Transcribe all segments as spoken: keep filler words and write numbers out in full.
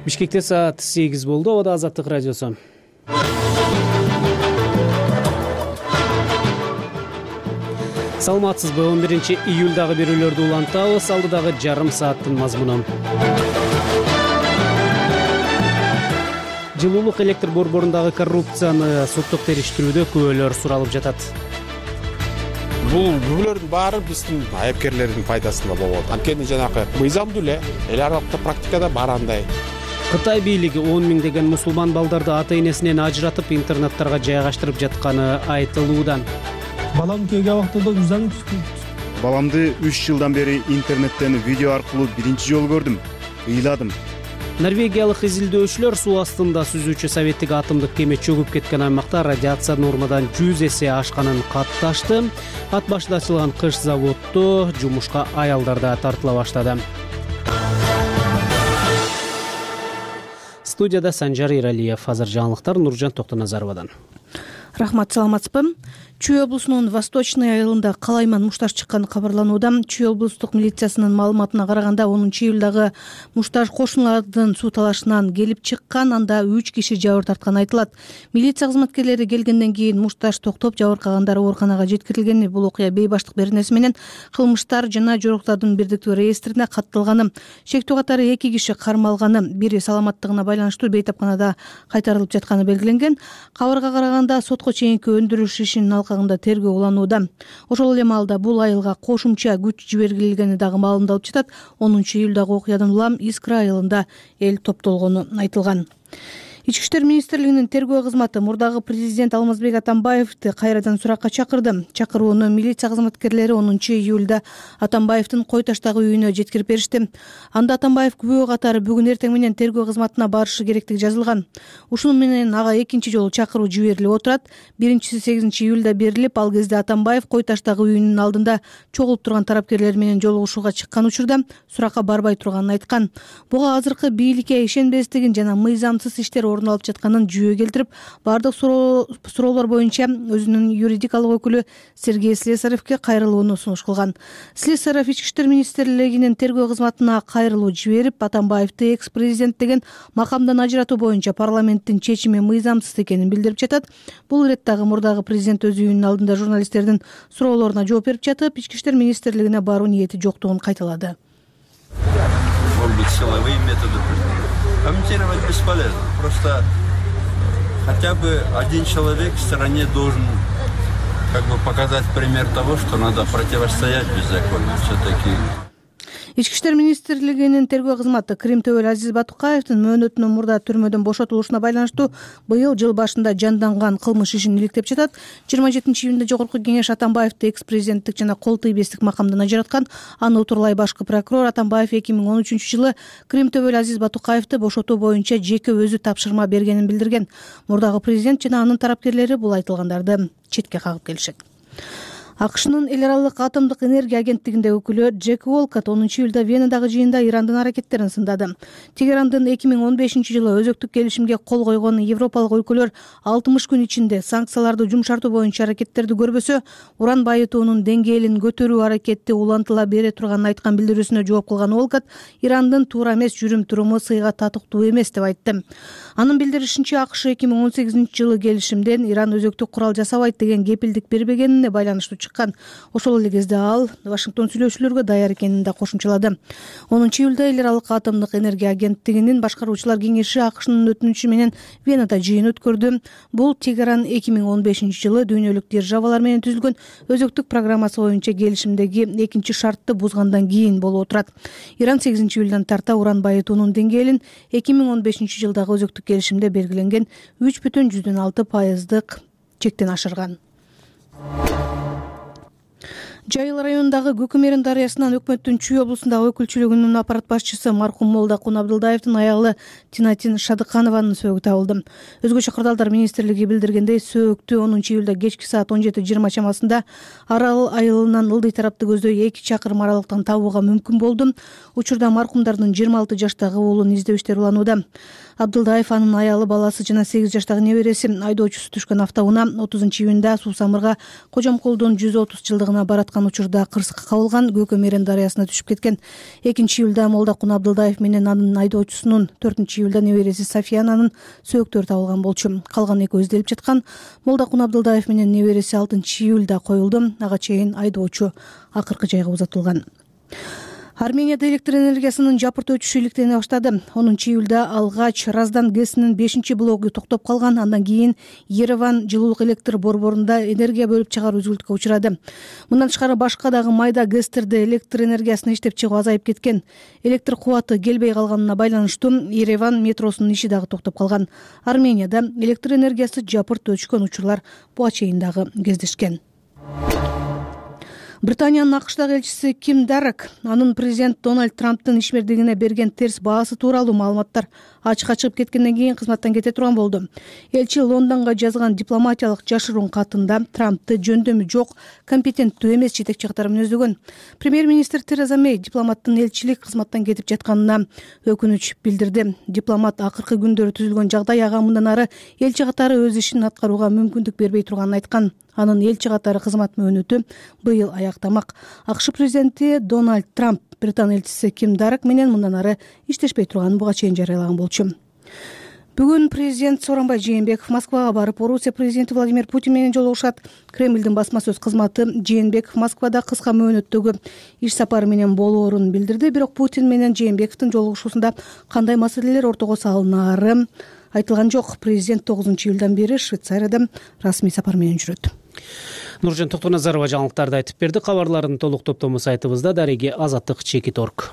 Бишкекте саат сегиз болду. Абада Азаттык радиосу. Саламатсызбы? он биринчи июлдагы берүүлөрдү улантабыз. Алдыдагы жарым сааттын мазмуну. Жылуулук электр борборундагы коррупцияны соттук териштирүүдө күбөлөр суралып жатат. Бул күбөлөрдүн баары биздин айыпкерлердин пайдасында болот. Анткени жанагы мыйзамдуу эле эл аралык практикада бар андай. Кытай бийлиги он миңдеген мусулман балдарды ата-энесинен ажыратып интернаттарга жайгаштырып жатканы айтылууда. Балам келген убактында үзаң Баламды үч жылдан бери интернеттен видео аркылуу биринчи жолу көрдүм. Ыйладым. Норвегиялык изилдөөчүлөр суу астында сүзүүчү советтик атомдук кеме чөгүп кеткен аймакта радиация нормадан жүз эсе ашканын катташты. Ат башында ачылган кыш заводдо жумушка аялдар да тартыла баштады. Студияда Санжар Иралиев. Азыр жаңылыктар Нуржан Токтоназаровадан. Рахмат, саламатсызбы? Чүй облусунун Восточный айылында калайман мушташ чыкканы кабарланууда. Чүй облустук милициясынын маалыматына караганда онунчу июлдагы мушташ кошуналардын суу талашынан келип чыккан, анда үч киши жабыр тартканы айтылат. Милиция кызматкерлери келгенден кийин мушташ токтоп жабыркагандар ооруканага жеткирилген. Бул окуя бейбаштык беренеси менен кылмыштар жана жоруктардын бирдиктүү реестрине катталганы. Шектүү катары эки киши кармалганы, бири саламаттыгына байланыштуу бейтапканада кайтарылып жатканы белгиленген. Кабарга караганда сотко чейинки өндүрүш ишинин алкагында тергөө уланууда. Ошол эле маалда бул айылга кошумча күч жиберилгени дагы маалымдалып жатат. онунчу июлдагы окуядан улам Искра айылында эл топтолгону айтылган. Ички иштер министрлигинин тергөө кызматы мурдагы президент Алмазбек Атамбаевди кайрадан суракка чакырды. Чакырууну милиция кызматкерлери онунчу июлда Атамбаевдин Кой таштагы үйүнө жеткирип беришти. Анда Атамбаев күбө катары бүгүн эртең менен тергөө кызматына барышы керектиги жазылган. Ушуну менен ага экинчи жолу чакыруу жиберилип отурат. Биринчиси сегизинчи июлда берилип, ал кезде Атамбаев Кой таштагы үйүнүн алдында чогулуп турган тараптарлар менен жолугушууга чыккан учурда суракка барбай турганын айткан. Буга азыркы бийликке ишенбестигин жана мыйзамсыз иштер орун алып жатканын жүйө келтирип, бардык суроолор боюнча өзүнүн юридикалык өкүлү Сергей Слесаревке кайрылууну сунуш кылган. Слесарев Ички иштер министрлигинин тергөө кызматына кайрылуу жиберип, Атамбаевди экс-президент деген макамдан ажыратуу боюнча парламенттин чечими мыйзамсыз экенин билдирип жатат. Бул иреттагы мурдагы президент өз үйүнүн алдында журналисттердин суроолоруна жооп берип жатып, Ички иштер министрлигине баруу ниети жоктугун кайталады. Комментировать бесполезно. Просто хотя бы один человек в стране должен как бы показать пример того, что надо противостоять беззаконию. Все-таки. Ички иштер министрлигинин тергөө кызматы Крим Төбөл Азиз Батукаевдин мөөнөтүнүн мурда түрмөдөн бошотулушуна байланыштуу быйыл жыл башында жанданган кылмыш ишин иликтеп жатат. жыйырма жетинчи июнда Жогорку кеңеш Атамбаевди экс-президенттик жана кол тийбестик макамдан ажыраткан. Аны утурлай башкы прокурор Атамбаев эки миң он үчүнчү жылы Крим Төбөл Азиз Батукаевди бошотуу боюнча жеке өзү тапшырма бергенин билдирген. Мурдагы президент жана анын тарапкерлери бул айтылгандарды четке кагып келишет. АКШнын эл аралык атомдук энергия агенттигинде өкүлү Джек Волкот онунчу июлда Венадагы жыйында Ирандын аракеттерин сындады. Тегерандын эки миң он бешинчи жылы өзөктүк келишимге кол койгон европалык өлкөлөр алтымыш күн ичинде санкцияларды жумшартуу боюнча аракеттерди көрбөсө, уран байытуунун деңгээлин көтөрүү аракети улантыла бере турганын айткан билдирүүсүнө жооп кылган Волкот Ирандын туура эмес жүрүм-туруму сыйга татыктуу эмес деп айтты. Анын билдиришинче, АКШ эки миң он сегизинчи жылы келишимден Иран өзөктүк курал жасабайт деген кепилдик бербегенине байланыштуу чыккан. Ошол эле кезде ал Вашингтон сүйлөшүүлөргө даяр экенин да кошумчалады. онунчу июлда эл аралык атомдук энергия агенттигинин башкаруучулар кеңеши АКШнын өтүнүчү менен Венада жыйын өткөрдү. Бул Тегеран эки миң он бешинчи жылы дүйнөлүк державалар менен түзүлгөн өзөктүк программасы боюнча келишимдеги экинчи шартты бузгандан кийин болуп отурат. Иран сегизинчи июлдан тарта уран байытуунун деңгээлин эки миң он бешинчи жылдагы өзөктүк келишимде белгиленген үч бүтүн жүздөн алты пайыздык чектен ашырган. Жайыл районундагы Көкөмерин дарыясынан өкмөттүн Чүй облусундагы өкүлчүлүгүнүн аппарат башчысы маркум Молдакун Абдылдаевдин аялы Тинатин Шадыканованын сөөгү табылды. Өзгөчө кырдаалдар министрлиги билдиргендей, сөөктү онунчу июлда кечки саат он жети жыйырма чамасында Арал айылынан ылдый тарапты көздөй эки чакырым аралыктан табууга мүмкүн болду. Учурда маркумдардын жыйырма алты жаштагы уулун издөө иштери уланууда. Абдылдаев, анын аялы, баласы жана сегиз жаштагы небереси айдоочусу түшкөн автоунаа отузунчу июнда Суу Самырга Кожомкулдун жүз отуз жылдыгына бараткан учурда кырсыкка кабылган, Көкө Мерен дарыясына түшүп кеткен. экинчи июлда Молдокун Абдылдаев менен анын айдоочусунун, төртүнчү июлда небереси Софиянанын сөөгүттөрү табылган болчу. Калган экөө изделип жаткан. Молдокун Абдылдаев менен небереси алтынчы июлда коюлду. Ага чейин айдоочу акыркы жайга узатылган. Арменияда электр энергиясынын жапырт өчүшү иликтене баштады. онунчу июлда алгач Раздан ГЭСинин бешинчи блогу токтоп калган. Андан кийин Ереван жылуулук электр борборунда энергия бөлүп чыгаруу үзүлүшкө учурады. Мындан тышкары башка дагы майда ГЭСтерде электр энергиясын иштеп чыгуу азайып кеткен. Электр кубаты келбей калганына байланыштуу Ереван метросунун иши дагы токтоп калган. Арменияда электр энергиясы жапырт өчкөн учурлар буга чейин дагы кездешкен. Британиянын АКШдагы элчиси Ким Дарак анын президент Дональд Трамптын ишмердигине берген терс баасы тууралуу маалыматтар ачыкка чыгып кеткенден кийин кызматтан кете турган болду. Элчи Лондонго жазган дипломатиялык жашыруун катында Трампты жөндөмү жок, компетенттүү эмес жетекчи катары мүнөздөгөн. Премьер-министр Тереза Мэй дипломаттын элчилик кызматтан кетип жатканына өкүнүч билдирди. Дипломат акыркы күндөрү түзүлгөн жагдай ага мындан ары элчи катары өз ишин аткарууга мүмкүндүк бербей турганын айткан. Анын элчи катары кызмат мөөнөтү быйыл аяктамак. АКШ президенти Дональд Трамп Британ элчиси Ким Дарак менен мындан ары иштешпей турганын буга чейин жарыялаган болчу. Бүгүн президент Сооронбай Жээнбеков Москвага барып, Орусия президенти Владимир Путин менен жолугушат. Кремлдин басма сөз кызматы Жээнбеков Москвада кыска мөөнөттөгү иш сапары менен болоорун билдирди. Бирок Путин менен Жээнбековдун жолугушуусунда кандай маселелер ортого салынары айтылган жок. Президент тогузунчу июлдан бери Швейцарияда расмий сапар менен жүрөт. Нуржан Токтоназарова жаңылыктарды айтып берди. Кабарлардын толук топтому сайтыбызда. Дареги Азаттык чекит точка орг.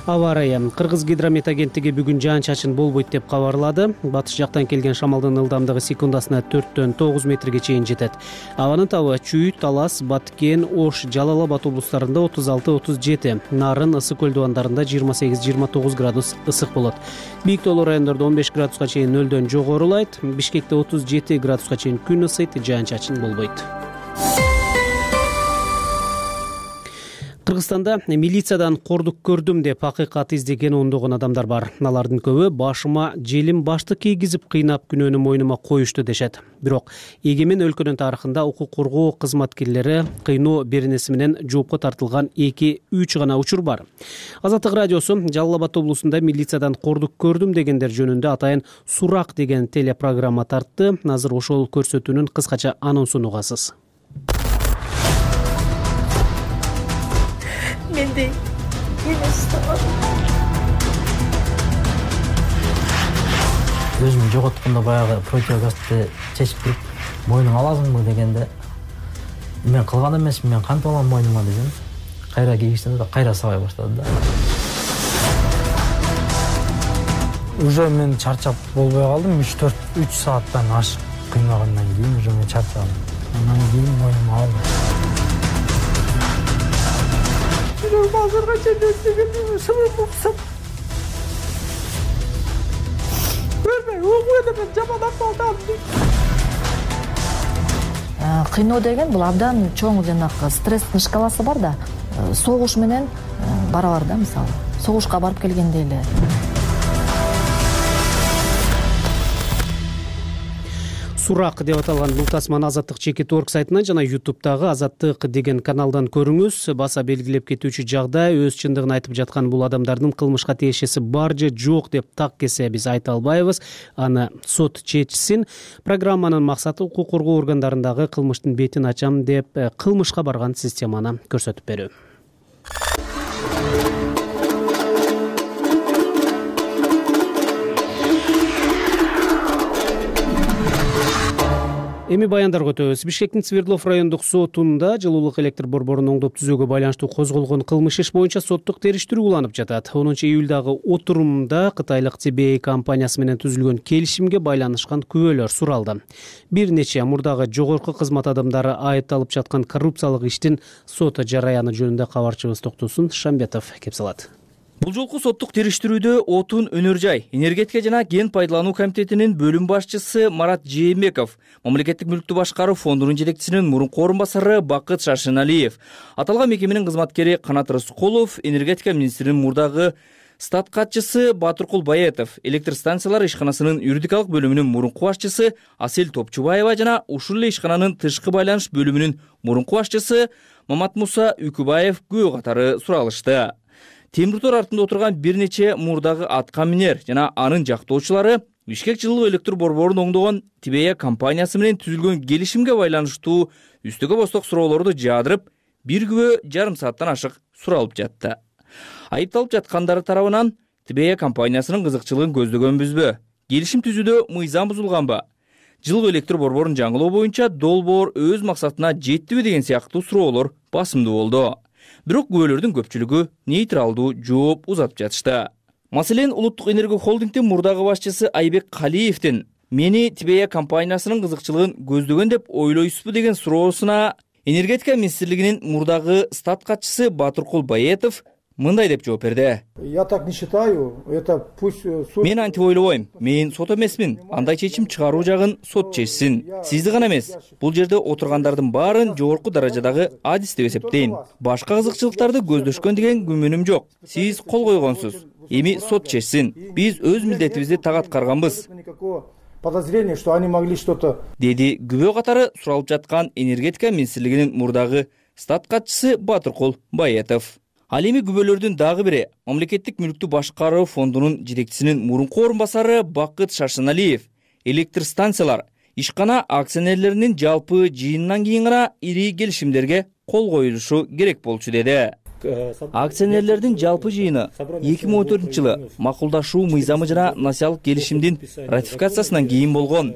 Аба ырайы. Кыргыз гидромет агенттиги бүгүн жаан-чачын болбойт деп кабарлады. Батыш жактан келген шамалдын ылдамдыгы секундасына төрттөн тогуз метрге чейин жетет. Абанын табы Чүй, Талас, Баткен, Ош, Жалал Абад облустарында отуз алты отуз жети, Нарын, Ысык көл дубандарында жыйырма сегиз жыйырма тогуз градус ысык болот. Бийик тоолуу райондордо он беш градуска чейин нөлдөн жогорулайт. Бишкекте отуз жети градуска чейин күн ысыйт, жаан-чачын болбойт. Кыргызстанда милициядан кордук көрдүм деп акыйкат издеген ондогон адамдар бар. Алардын көбү башыма желим башты кийгизип кыйнап күнөөнү мойнума коюшту дешет. Бирок эгемен өлкөнүн тарыхында укук коргоо кызматкерлери кыйноо беренеси менен жоопко тартылган эки үч гана учур бар. Азаттык радиосу Жалал Абад облусунда милициядан кордук көрдүм дегендер жөнүндө атайын сурак деген телепрограмма тартты. Азыр ошол көрсөтүүнүн кыскача анонсун угасыз. Мендей эмес өзүмдү жоготкондо баягы противогазды чечип туруп мойнуңа аласыңбы дегенде мен кылган эмесмин, мен кантип алам мойнума десем, кайра кийгизсем да кайра сабай баштады да. Уже мен чарчап болбой калдым. үч төрт үч сааттан ашык кыйнагандан кийин уже мен чарчадым. Андан кийин мойнума алдым. Базарга чейин сынып болсам. Көрмөй, угуйда мен жаманап калдым. Кыйноо деген бул абдан чоң жанагы стресстин шкаласы бар да. Согуш менен барабар да, мисалы. Согушка барып келгенде эле. Сурак деп аталган бул тасманы Азаттык чекит точка орг сайтынан жана ютубтагы Азаттык деген каналдан көрүңүз. Баса белгилеп кетүүчү жагдай, өз чындыгын айтып жаткан бул адамдардын кылмышка тиешеси бар же жок деп так кесе биз айта албайбыз. Аны сот чечсин. Программанын максаты укук коргоо органдарындагы кылмыштын бетин ачам деп кылмышка барган системаны көрсөтүп берүү. Эми баяндарга өтөбүз. Бишкектин Свердлов райондук сотунда жылуулук электр борборун оңдоп түзүүгө байланыштуу козголгон кылмыш иш боюнча соттук териштирүү уланып жатат. онунчу июлдагы отурумда Кытайлык Ти Би Эй компаниясы менен түзүлгөн келишимге байланышкан күбөлөр суралды. Бир нече мурдагы жогорку кызмат адамдары айыпталып жаткан коррупциялык иштин сот жараяны жөнүндө кабарчыбыз Токтосун Шамбетов кеп салат. Бул жолку соттук териштирүүдө Отун Өнөр жай, энергетика жана кен пайдалануу комитетинин бөлүм башчысы Марат Жээнбеков, мамлекеттик мүлктү башкаруу фондунун жетекчисинин мурунку орун басары Бакыт Шаршеналиев, аталган мекеменин кызматкери Канат Рыскулов, энергетика министринин мурдагы Стат катчысы Батыркул Баетов, электр станциялар ишканасынын юридикалык бөлүмүнүн мурунку башчысы Асель Топчубаева жана ушул эле ишкананын тышкы байланыш бөлүмүнүн мурунку башчысы Маматмуса Үкүбаев күбө катары суралышты. Темир тор артында отурган бир нече мурдагы атка минер жана анын жактоочулары Бишкек жылуу электр борборун оңдогон Тибея компаниясы менен түзүлгөн келишимге байланыштуу үстөгө босток суроолорду жаадырып, бир күбө жарым сааттан ашык суралып жатты. Айыпталып жаткандары тарабынан Тибея компаниясынын кызыкчылыгын көздөгөнбүзбү, келишим түзүүдө мыйзам бузулганбы, жылуу электр борборун жаңылоо боюнча долбоор өз максатына жеттиби деген сыяктуу суроолор басымдуу болду. Бирок күбөлөрдүн көпчүлүгү нейтралдуу жооп узатып жатышты. Маселен, Улуттук энергия холдингдин мурдагы башчысы Айбек Калиевдин мени Тибея компаниясынын кызыкчылыгын көздөгөн деп ойлойсузбу деген суроосуна энергетика министрлигинин мурдагы стат катчысы Батыркул Баетов мындай деп жооп берди. Я так не считаю, это пусть суд... Мен антип ойлобойм, мен сот эмесмин, андай чечим чыгаруу жагын сот чечсин. Сизди гана эмес, бул жерде отургандардын баарын жогорку даражадагы адис деп эсептейм. Башка кызыкчылыктарды көздөшкөн деген күмөнүм жок. Сиз кол койгонсуз, эми сот чечсин. Биз өз милдетибизди так аткарганбыз. Подозрение, что они могли что-то... Деди күбө катары суралып жаткан энергетика министрлигинин мурдагы стат катчысы Батыркул Баетов. Ал эми күбөлөрдүн дагы бири мамлекеттик мүлктү башкаруу фондунун жетекчисинин мурунку орун басары Бакыт Шаршеналиев электр станциялар ишкана акционерлеринин жалпы жыйынынан кийин гана ири келишимдерге кол коюлушу керек болчу деди. Акционерлердин жалпы жыйыны эки миң он төртүнчү жылы макулдашуу мыйзамы жана насиялык келишимдин ратификациясынан кийин болгон.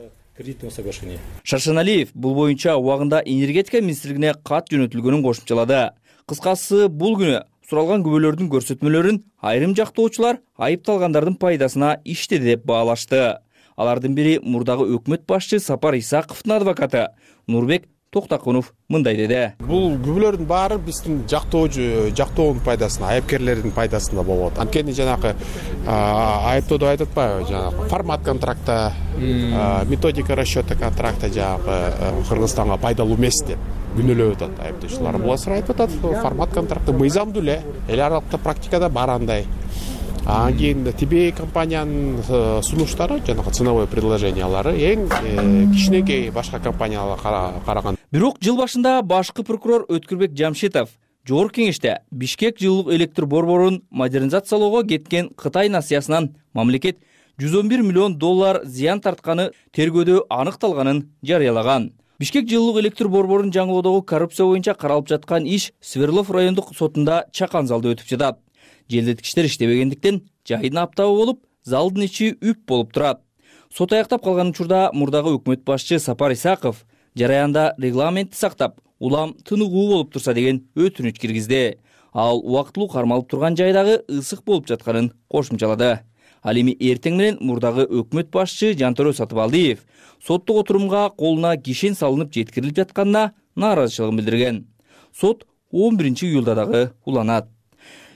Шаршеналиев бул боюнча убагында энергетика министрлигине кат жөнөтүлгөнүн кошумчалады. Кыскасы, бул күнү суралган күбөлөрдүн көрсөтмөлөрүн айрым жактоочулар айыпталгандардын пайдасына иштеди деп баалашты. Алардын бири мурдагы өкмөт башчы Сапар Исаковдун адвокаты Нурбек Токтакунов мындай деди. Бул күбөлөрдүн баары биздин жактоочу жактоонун пайдасына, айыпкерлердин пайдасына болот. Анткени жанагы айыптоодо айтып атпайбы, жанагы формат контракта, методика расчета контракта жанагы Кыргызстанга пайдалуу эмес деп күнөөлөп атат айыптоочулар. Булар айтып атат, формат контракты мыйзамдуу эле, эл аралыкта практикада бар андай. Анан кийин Тибея компаниянын сунуштары, жанагы ценовой предложениялары эң кичинекей башка компанияларга караганда. Бирок жыл башында башкы прокурор Өткүрбек Жамшитов Жогорку кеңеште Бишкек жылуулук электр борборун модернизациялоого кеткен Кытай насыясынан мамлекет жүз он бир миллион доллар зыян тартканы тергөөдө аныкталганын жарыялаган. Бишкек жылуулук электр борборун жаңылоодогу коррупция боюнча каралып жаткан иш Свердлов райондук сотунда чакан залда өтүп жатат. Желдеткичтер иштебегендиктен жайдын аптабы болуп, залдын ичи үп болуп турат. Сот аяктап калган учурда мурдагы өкмөт башчы Сапар Исаков жараянда регламентти сактап, улам тыныгуу болуп турса деген өтүнүч киргизди. Ал убактылуу кармалып турган жайдагы ысык болуп жатканын кошумчалады. Ал эми эртең менен мурдагы өкмөт башчы Жантөрө Сатыбалдиев соттук отурумга колуна кишен салынып жеткирилип жатканына нааразычылыгын билдирген. Сот он биринчи июлда дагы уланат.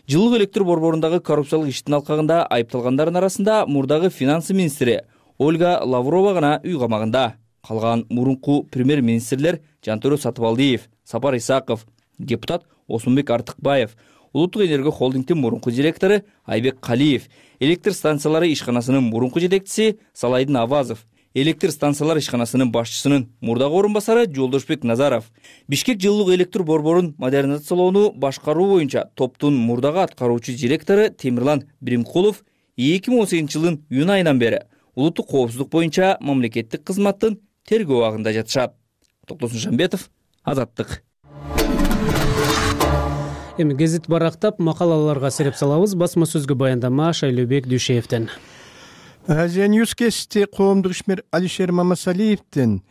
Жылуулук электр борборундагы коррупциялык иштин алкагында айыпталгандардын арасында мурдагы финансы министри Ольга Лаврова гана үй камагында. Калган мурунку премьер-министрлер Жантөрө Сатыбалдиев, Сапар Исаков, депутат Осмонбек Артыкбаев, Улуттук энергия холдингдин мурунку директору Айбек Калиев, электр станциялары ишканасынын мурунку жетекчиси Салайдын Авазов, электр станциялар ишканасынын башчысынын мурдагы орун басары Жолдошбек Назаров, Бишкек жылуулук электр борборун модернизациялоону башкаруу боюнча топтун мурдагы аткаруучу директору Темирлан Биримкулов эки миң он сегизинчи жылдын июнь айынан бери улуттук коопсуздук боюнча мамлекеттик кызматтын тергөө абагында жатышат. Токтосун Жамбетов, Азаттык. Эми гезит барактап макалаларга сереп салабыз. Басма сөзгө баяндама Шайлообек Дүйшеевден. Азия Ньюс кести коомдук ишмер Алишер Мамасалиевдин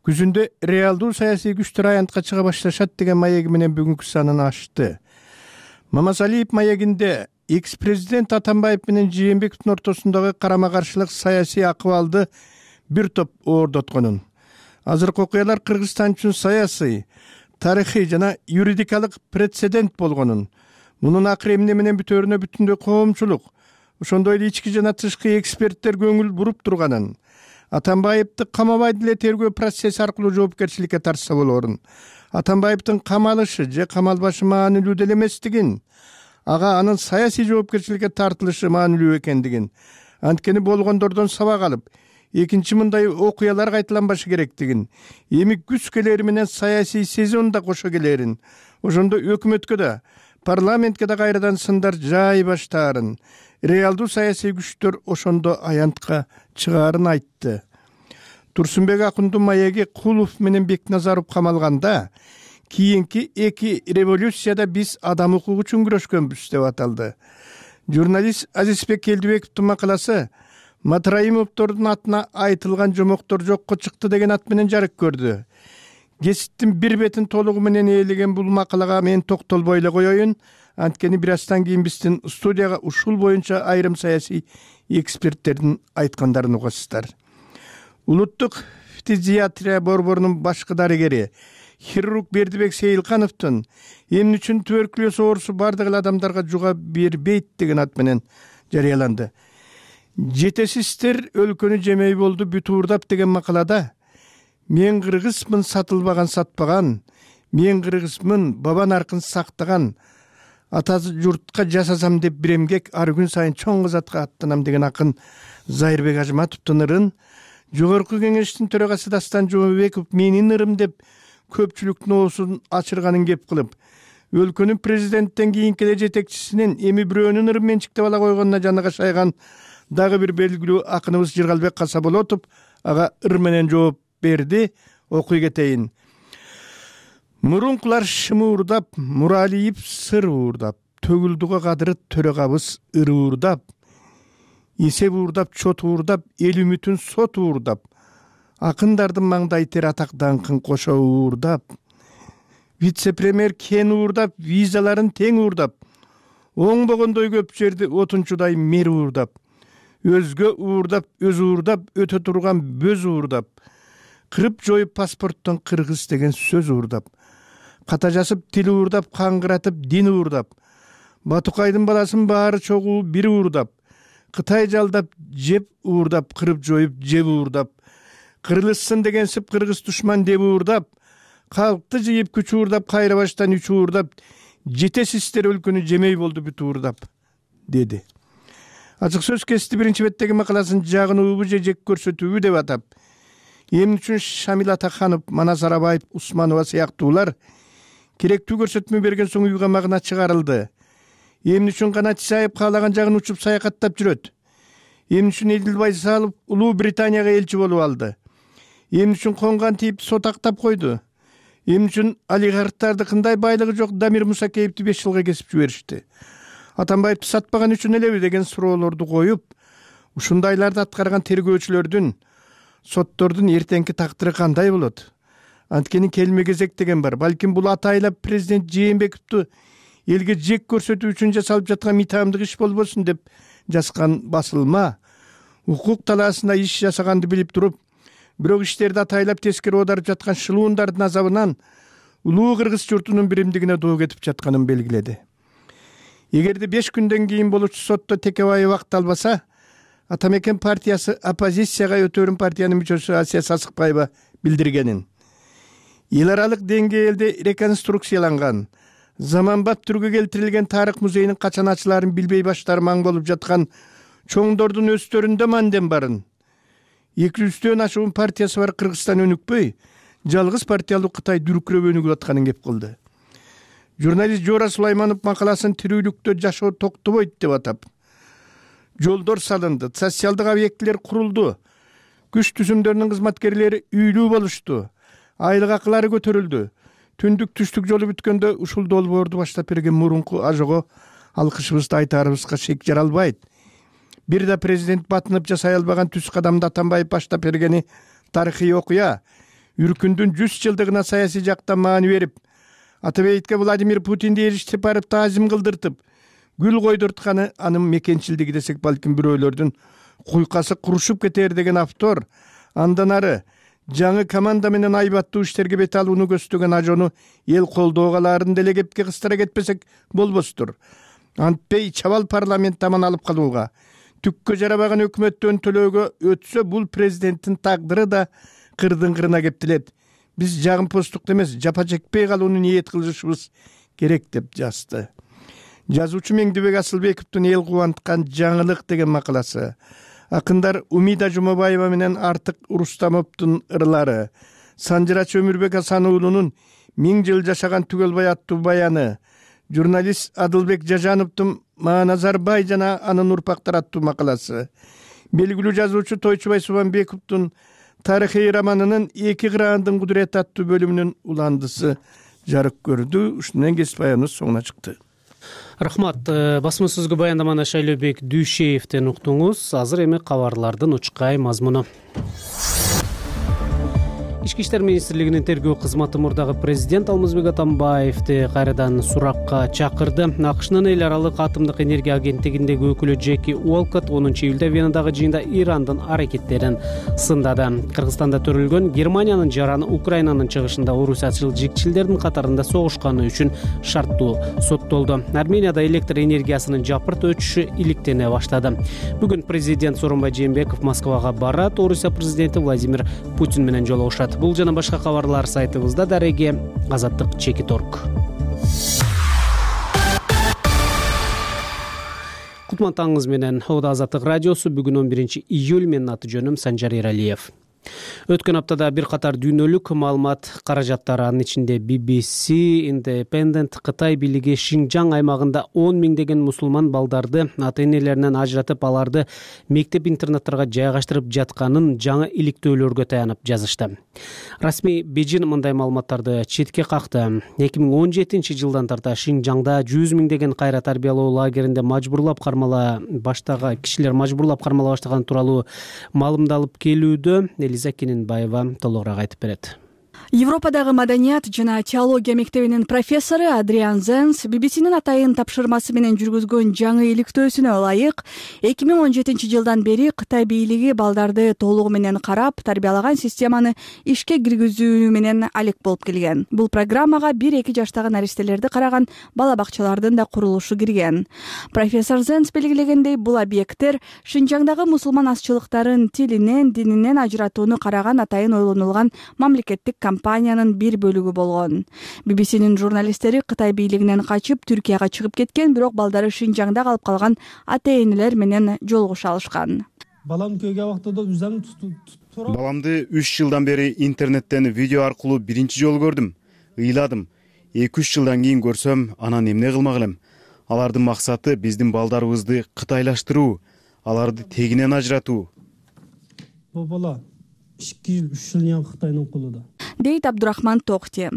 күзүндө реалдуу саясий күчтөр аянтка чыга башташат деген маеги менен бүгүнкү санын ачты. Мамасалиев маегинде экс-президент Атамбаев менен Жээнбековдун ортосундагы карама-каршылык саясий акыбалды бир топ оордотконун, азыркы окуялар Кыргызстан үчүн саясий, тарыхый жана юридикалык прецедент болгонун, мунун акыры эмне менен бүтөөрүнө бүтүндөй коомчулук, ошондой эле ички жана тышкы эксперттер көңүл буруп турганын, Атамбаевди камабай деле тергөө процесси аркылуу жоопкерчиликке тартса болорун, Атамбаевдин камалышы же камалбашы маанилүү деле эместигин, ага анын саясий жоопкерчиликке тартылышы маанилүү экендигин, анткени болгондордон сабак алып экинчи мындай окуялар кайталанбашы керектигин, эми күз келери менен саясий сезон да кошо келерин, ошондо өкмөткө да парламентке да кайрадан сындар жай баштаарын, реалдуу саясий күчтөр ошондо аянтка чыгаарын айтты. Турсунбек Акундун маеги Кулов менен Бекназаров камалганда кийинки эки революцияда биз адам укугу үчүн күрөшкөнбүз деп аталды. Журналист Азизбек Келдибековдун макаласы Матраимовдордун атына айтылган жомоктор жокко чыкты деген ат менен жарык көрдү. Гезиттин бир бетин толугу менен ээлеген бул макалага мен токтолбой эле коеюн, анткени бир аздан кийин биздин студияга ушул боюнча айрым саясий эксперттердин айткандарын угасыздар. Улуттук фтизиатрия борборунун башкы дарыгери хирург Бердибек Сейилкановдун эмне үчүн туберкулез оорусу бардык эле адамдарга жуга бербейт деген ат менен жарыяланды. Жетесиздер өлкөнү жемей болду бүт уурдап деген макалада мен кыргызмын сатылбаган сатпаган, мен кыргызмын баба наркын сактаган, ата журтка жасасам деп бир эмгек ар күн сайын чоң кызатка аттанам деген акын Зайырбек Ажматовдун ырын Жогорку кеңештин төрагасы Дастан Жумабеков менин ырым деп көпчүлүктүн оозун ачырганын кеп кылып, өлкөнүн президенттен кийинки эле жетекчисинин эми бирөөнүн ырым менчиктеп ала койгонуна жаны кашайган дагы бир белгилүү акыныбыз Жыргалбек Касаболотов ага ыр менен жооп берди. Окуй кетейин. Мурункулар шымуурдап, Муралиев сыр уурдап, төгүлдүгө кадыры төрөгабыз ыр уурдап, эсеп уурдап, чот уурдап, эл үмүтүн сот уурдап, акындардын маңдай тер атак даңкын кошо уурдап, вице-премьер кен уурдап, визаларын тең уурдап, оңбогондой көп жерди отунчудай мер уурдап, өзгө уурдап, өз уурдап, өтө турган бөз уурдап, кырып жоюп паспорттон кыргыз деген сөз уурдап, ката жасып тил уурдап, каңгыратып дин уурдап, Батукайдын баласын баары чогуу бир уурдап, Кытай жалдап жеп уурдап, кырып жоюп жеп уурдап, кырылышсын дегенсип кыргыз душман деп уурдап, калкты жыйып күч уурдап, кайра баштан үч уурдап, жетесиздер өлкөнү жемей болду бүт уурдап, деди. Ачык сөз кести биринчи беттеги макаласын жагынуубу же жек көрсөтүүбү деп атап, эмне үчүн Шамил Атаханов, Манас Арабаев, Усманова сыяктуулар керектүү көрсөтмө берген соң үйгө магына чыгарылды. Эмне үчүн Канат Исаев каалаган жагын учуп саякаттап жүрөт? Эмне үчүн Эдил Байсалов Улуу Британияга элчи болуп алды? Эмне үчүн конган тип сотактап койду? Эмне үчүн олигархтарды кандай байлыгы жок Дамир Мусакеевди беш жылга кесип жиберишти? Атамбаевди сатпаган үчүн элеби деген суроолорду коюп, ушундайларды аткарган тергөөчүлөрдүн, соттордун эртеңки тактыры кандай болот? Анткени келме кезек деген бар. Балким бул атайлап президент Жээнбековду элге жек көрсөтүү үчүн жасалып жаткан митамдык иш болбосун деп жазган басылма, укук талаасында иш жасаганды билип туруп, бирок иштерди атайлап тескери оодарып жаткан шылуундардын азабынан улуу кыргыз журтунун биримдигине доо кетип жатканын белгиледи. Эгерде беш күндөн кийин болуучу сотто Текебаев акт албаса, Атамекен партиясы оппозицияга өтөрүн партиянын мүчөсү Асия Сасыкбаева билдиргенин. Эл аралык деңгээлде реконструкцияланган, заманбап түргө келтирилген тарых музейинин качан ачылаарын билбей баштары маң болуп жаткан чоңдордун өстөрүндө мандем барын. эки жүздөн ашуун партиясы бар Кыргызстан өнүкпөй, жалгыз партиялуу Кытай дүркүрөп өнүгүп атканын кеп кылды. Журналист Жора Сулайманов макаласын тирүүлүктө жашоо токтобойт деп атап, жолдор салынды, социалдык объектилер курулду, күч түзүмдөрүнүн кызматкерлери үйлүү болушту, айлык акылары көтөрүлдү. Түндүк түштүк жолу бүткөндө ушул долбоорду баштап берген мурунку ажого алкышыбызды айтаарыбызга шек жаралбайт. Бир да президент батынып жасай албаган түз кадамды Атамбаев баштап бергени тарыхый окуя. Үркүндүн жүз жылдыгына саясий жактан маани берип, Атабейтке Владимир Путинди эриштип барып таазим кылдыртып, гүл койдуртканы анын мекенчилдиги десек балким бирөөлөрдүн куйкасы курушуп кетер деген автор, андан ары жаңы команда менен айбаттуу иштерге бет алууну көздөгөн ажону эл колдоого алаарын деле кепке кыстыра кетпесек болбостур. Антпей чабал парламент таман алып калууга, түккө жарабаган өкмөттөн төлөөгө өтсө бул президенттин тагдыры да кырдын кырына кептелет. Биз жагымпоздукту эмес, жапа чекпей калууну ниет кылышыбыз керек деп жазды. Жазуучу Меңдибек Асылбековдун эл кубанткан жаңылык деген макаласы, акындар Умида Жумабаева менен Артык Рустамовдун ырлары, Санжырач Өмүрбек Асан уулунун Миң жыл жашаган Түгөлбай аттуу баяны, журналист Адылбек Жажановдун Мааназарбай жана анын урпактары аттуу макаласы, белгилүү жазуучу Тойчубай Субанбековдун тарыхый романынын Эки кыраандын кудурети аттуу бөлүмүнүн уландысы жарык көрдү. Ушун менен кесип баяныбыз соңуна чыкты. Рахмат. Басма сөзгө баяндаманы Шайлообек Дүйшеевден уктуңуз. Азыр эми кабарлардын учкай мазмуну. Ички иштер министрлигинин тергөө кызматы мурдагы президент Алмазбек Атамбаевди кайрадан суракка чакырды. АКШнын эл аралык атомдук энергия агенттигиндеги өкүлү Джеки Уолкот онунчу июлда Венадагы жыйында Ирандын аракеттерин сындады. Кыргызстанда төрөлгөн Германиянын жараны Украинанын чыгышында орусиячыл жигчилдердин катарында согушканы үчүн шарттуу соттолду. Арменияда электр энергиясынын жапырт өчүшү иликтене баштады. Бүгүн президент Сооронбай Жээнбеков Москвага барат. Орусия президенти Владимир Путин менен жолугушат. Бул жана башка кабарлар сайтыбызда. Дареги Азаттык чекит точка орг. Кутман таңыңыз менен. Ода Азаттык радиосу. Бүгүн он биринчи июль. Менин аты жөнүм Санжар Эралиев. Өткөн аптада бир катар дүйнөлүк маалымат каражаттары, анын ичинде би би си, Independent, Кытай бийлиги Шинжаң аймагында он миңдеген мусулман балдарды ата-энелеринен ажыратып, аларды мектеп-интернаттарга жайгаштырып жатканын жаңы иликтөөлөргө таянып жазышты. Расмий Бейжин мындай маалыматтарды четке какты. эки миң он жетинчи жылдан тарта Шинжаңда жүз миңдеген кайра тарбиялоо лагеринде мажбурлап кармала баштаган кишилер мажбурлап кармала баштаган тууралуу маалымдалып келүүдө. Элиза Кененбаева толугураак айтып берет. Европадагы маданият жана теология мектебинин профессору Адриан Зенс би би синин атайын тапшырмасы менен жүргүзгөн жаңы иликтөөсүнө ылайык эки миң он жетинчи жылдан бери Кытай бийлиги балдарды толугу менен карап, тарбиялаган системаны ишке киргизүү менен алек болуп келген. Бул программага бир-эки жаштагы наристелерди караган бала бакчалардын да курулушу кирген. Профессор Зенс белгилегендей, бул объекттер Шинжаңдагы мусулман азчылыктарын тилинен, дининен ажыратууну караган атайын ойлонулган мамлекеттик компаниянын бир бөлүгү болгон. би би синин журналисттери Кытай бийлигинен качып Түркияга чыгып кеткен, бирок балдары Шинжаңда калып калган ата-энелер менен жолугуша алышкан. Балам күйгө убактада үзөм Баламды үч жылдан бери интернеттен видео аркылуу биринчи жолу көрдүм. Ыйладым. эки үч жылдан кийин көрсөм, анан эмне кылмак элем? Алардын максаты биздин балдарыбызды кытайлаштыруу, аларды тегинен ажыратуу. Бул бала эки үч жыл Кытайдын колунда. Дейт Абдурахман Токти.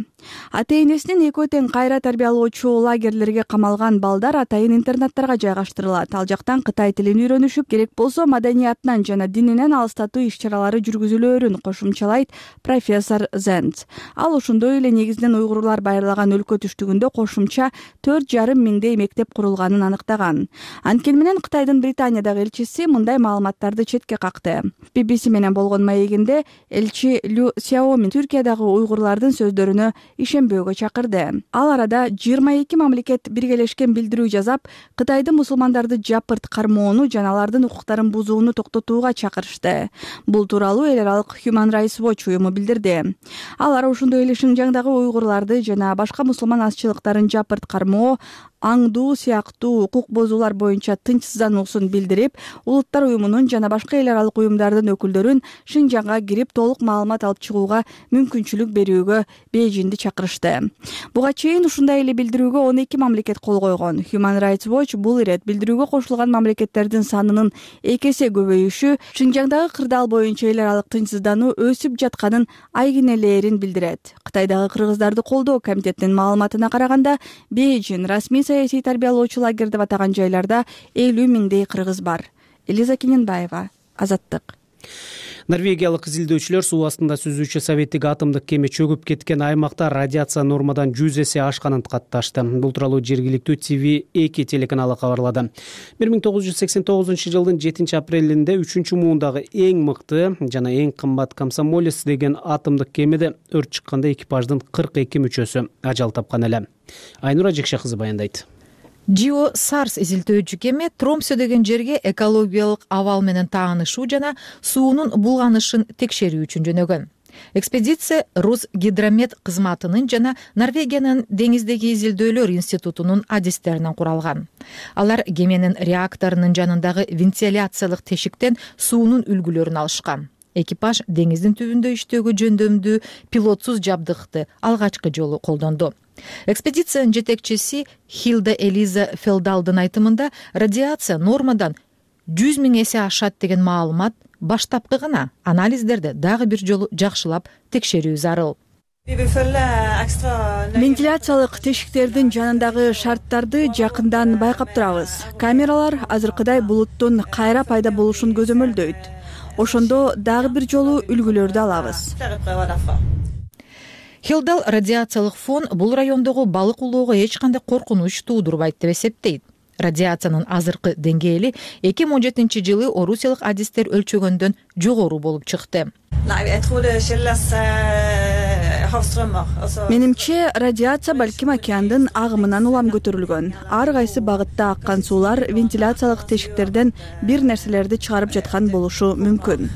Ата-энесинин экөө тең кайра тарбиялоочу лагерлерге камалган балдар атайын интернаттарга жайгаштырылат. Ал жактан Кытай тилин үйрөнүшүп, керек болсо маданиятынан жана дининен алыстатуу иш-чаралары жүргүзүлөөрүн кошумчалайт профессор Зенц. Ал ошондой эле негизинен уйгурлар байырлаган өлкө түштүгүндө кошумча төрт жарым миңдей мектеп курулганын аныктаган. Анткени менен Кытайдын Британиядагы элчиси мындай маалыматтарды четке какты. би би си менен болгон маегинде элчи Лю Сяомин Түркиядагы уйгурлардын сөздөрүнө ишенбөөгө чакырды. Ал арада жыйырма эки мамлекет биргелешкен билдирүү жазап, Кытайдын мусулмандарды жапырт кармоону жана алардын укуктарын бузууну токтотууга чакырышты. Бул тууралуу эл аралык Human Rights Watch уюму билдирди. Алар ошондой эле Шинжаңдагы уйгурларды жана башка мусулман азчылыктарын жапырт кармоо, аңдуу сыяктуу укук бузуулар боюнча тынчсыздануусун билдирип, улуттар уюмунун жана башка эл аралык уюмдардын өкүлдөрүн Шинжаңга кирип толук маалымат алып чыгууга мүмкүнчүлүк берүүгө Бейжинди чакырышты. Буга чейин ушундай эле билдирүүгө он эки мамлекет кол койгон. Human Rights Watch бул ирет билдирүүгө кошулган мамлекеттердин санынын эки эсе көбөйүшү Шинжаңдагы кырдаал боюнча эл аралык тынчсыздануу өсүп жатканын айгинелээрин билдирет. Кытайдагы кыргыздарды колдоо комитетинин маалыматына караганда, Бейжин расмий саясий тарбиялоочу лагерь деп атаган жайларда элүү миңдей кыргыз бар. Элиза Кененбаева, Азаттык. Норвегиялык изилдөөчүлөр суу астында сүзүүчү советтик атомдук кеме чөгүп кеткен аймакта радиация нормадан жүз эсе ашканын катташты. Бул тууралуу жергиликтүү ти ви эки телеканалы кабарлады. бир миң тогуз жүз сексен тогузунчу жылдын жетинчи апрелинде үчүнчү муундагы эң мыкты жана эң кымбат Комсомолец деген атомдук кемеде өрт чыкканда экипаждын кырк эки мүчөсү ажал тапкан эле. Айнура Жекше кызы баяндайт. Geo Sars изилдөөчү кеме Тромсө деген жерге экологиялык абал менен таанышуу жана суунун булганышын текшерүү үчүн жөнөгөн. Экспедиция Росгидромет кызматынын жана Норвегиянын деңиздеги изилдөөлөр институтунун адистеринен куралган. Алар кеменин реакторунун жанындагы вентиляциялык тешиктен суунун үлгүлөрүн алышкан. Экипаж деңиздин түбүндө иштөөгө жөндөмдүү пилотсуз жабдыкты алгачкы жолу колдонду. Экспедициянын жетекчиси Хилда Элиза Фелдалдын айтымында радиация нормадан жүз миң эсе ашат деген маалымат баштапкы гана, анализдерди дагы бир жолу жакшылап текшерүү зарыл. Вентиляциялык тешиктердин жанындагы шарттарды жакындан байкап турабыз. Камералар азыркыдай булуттун кайра пайда болушун көзөмөлдөйт. Ошондо дагы бир жолу үлгүлөрдү алабыз. Хилдал радиациялык фон бул райондогу балык улоого эч кандай коркунуч туудурбайт деп эсептейт. Радиациянын азыркы деңгээли эки миң он жетинчи жылы орусиялык адистер өлчөгөндөн жогору болуп чыкты. Менимче, радиация балким океандын агымынан улам көтөрүлгөн. Ар кайсы багытта аккан суулар вентиляциялык тешиктерден бир нерселерди чыгарып жаткан болушу мүмкүн.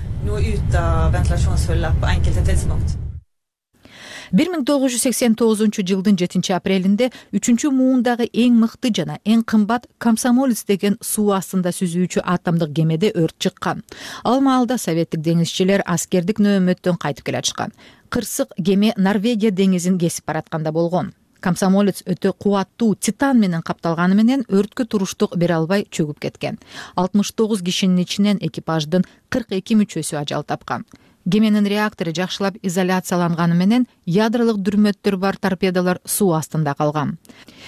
бир миң тогуз жүз сексен тогузунчу жылдын жетинчи апрелинде үчүнчү муундагы эң мыкты жана эң кымбат Комсомолец деген суу астында сүзүүчү атомдук кемеде өрт чыккан. Ал маалда советтик деңизчилер аскердик нөөмөттөн кайтып келатышкан. Кырсык кеме Норвегия деңизин кесип баратканда болгон. Комсомолец өтө кубаттуу титан менен капталганы менен өрткө туруштук бере албай чөгүп кеткен. алтымыш тогуз кишинин ичинен экипаждын кырк эки мүчөсү ажал тапкан. Кеменин реактору жакшылап изоляцияланганы менен ядролук дүрмөттөр бар торпедалар суу астында калган.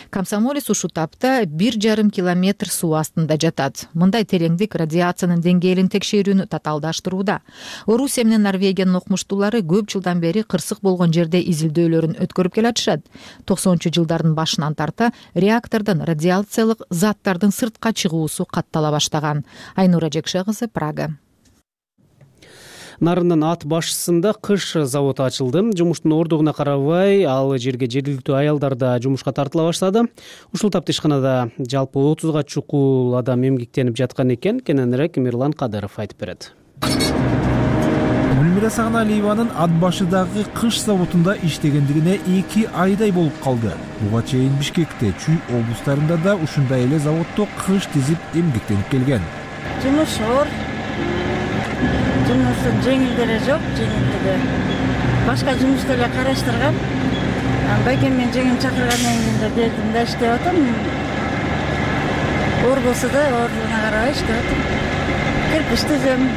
Комсомолец ушул тапта бир жарым километр суу астында жатат. Мындай тереңдик радиациянын деңгээлин текшерүүнү татаалдаштырууда. Орусия менен Норвегиянын окумуштуулары көп жылдан бери кырсык болгон жерде изилдөөлөрүн өткөрүп келатышат. токсонунчу жылдардын башынан тарта реактордон радиациялык заттардын сыртка чыгуусу каттала баштаган. Айнура Жекше кызы, Прага. Нарындын ат башысында кыш заводу ачылды. Жумуштун ордугуна карабай, ал жерге жергиликтүү аялдар да жумушка тартыла баштады. Ушул тапта ишканада жалпы отузга чукул адам эмгектенип жаткан экен. Кененирээк Мирлан Кадыров айтып берет. Гүлмира Сагыналиеванын ат башыдагы кыш заводунда иштегендигине эки айдай болуп калды. Буга чейин Бишкекте, Чүй облустарында да ушундай эле заводдо кыш тизип эмгектенип келген. Жумуш оор. Жумуштун жеңилдери жок, жеңилдиги. Башка жумушту эле караштыргам. Байкем мен жеңим чакыргандан кийин да бердим да иштеп атам. Оор болсо да оордугуна карабай иштеп атам. Кирпич түзөм.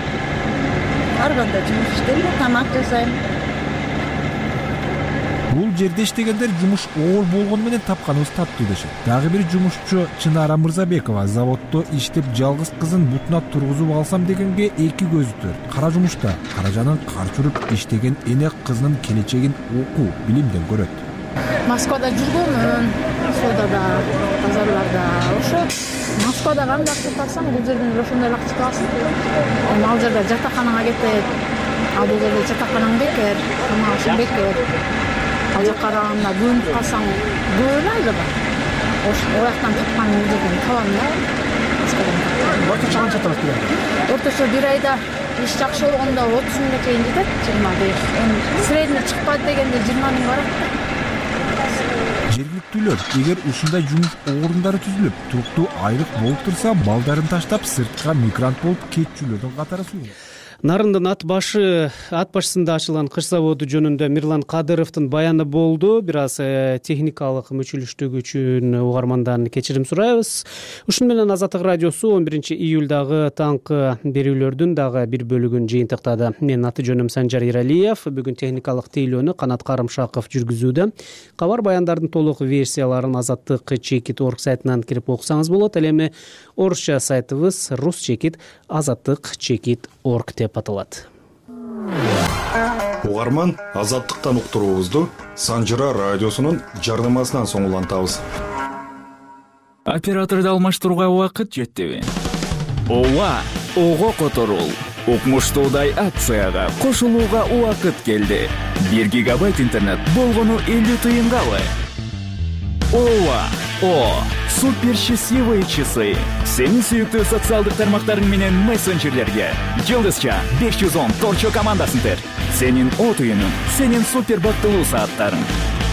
Ар кандай жумуш иштейм, тамак жасайм. Бул жерде иштегендер жумуш оор болгону менен тапканыбыз таттуу дешет. Дагы бир жумушчу Чынара Мырзабекова заводдо иштеп жалгыз кызын бутуна тургузуп алсам дегенге эки көзү төрт. Кара жумушта каражанын кар чүрүп иштеген эне кызынын келечегин окуу, билимден көрөт. Москвада жүргөмүн, суда да, базарларда. Ошо Москвада кандай акча тапсаң, бул жерден ошондой акча табасың. Ал жерде жатаканага кетет. Ал жерде жатаканаң бекер, тамагың бекер. Ал жака караганда бөлүнүп калсаң бөлөйдү да. Ошо ояктан тапкан жерден табам да. Орточо канча табат бир айда? Орточо бир айда иш жакшы болгондо отуз миңге чейин жетет, жыйырма беш. Эми средний чыкпайт дегенде жыйырма миң барат. Жергиликтүүлөр эгер ушундай жумуш орундары түзүлүп, туруктуу айлык болуп турса, балдарын таштап сыртка мигрант болуп кетчүлөрдүн катары сууйт. Нарындын ат башы ат башысында ачылган кыш заводу жөнүндө Мирлан Кадыровдун баяны болду. Бир аз техникалык мүчүлүштүгү үчүн угармандан кечирим сурайбыз. Ушуну менен Азаттык радиосу он биринчи июлдагы таңкы берүүлөрдүн дагы бир бөлүгүн жыйынтыктады. Менин аты жөнүм Санжар Иралиев. Бүгүн техникалык тейлөөнү Канат Карымшаков жүргүзүүдө. Кабар баяндардын толук версияларын Азаттык чекит точка орг сайтынан кирип окусаңыз болот. Ал эми орусча сайтыбыз рус чекит азаттык чекит точка орг деп аталат. Угарман Азаттыктан уктуруубузду Санжыра радиосунун жардамасынан соң улантабыз. Операторду алмаштырууга убакыт жетпеби? Ооба, ого которул. Укмуштуудай акцияга кошулууга убакыт келди. бир гигабайт интернет болгону элүү тыйынгабы? Ооба, О, супер счастливые часы. Сенин сүйүктүү социалдык тармактарың менен мессенджерлерге Жылдызча беш жүз он торчо командасын тер. Сенин от үйүнүң, сенин супер бактылуу сааттарың.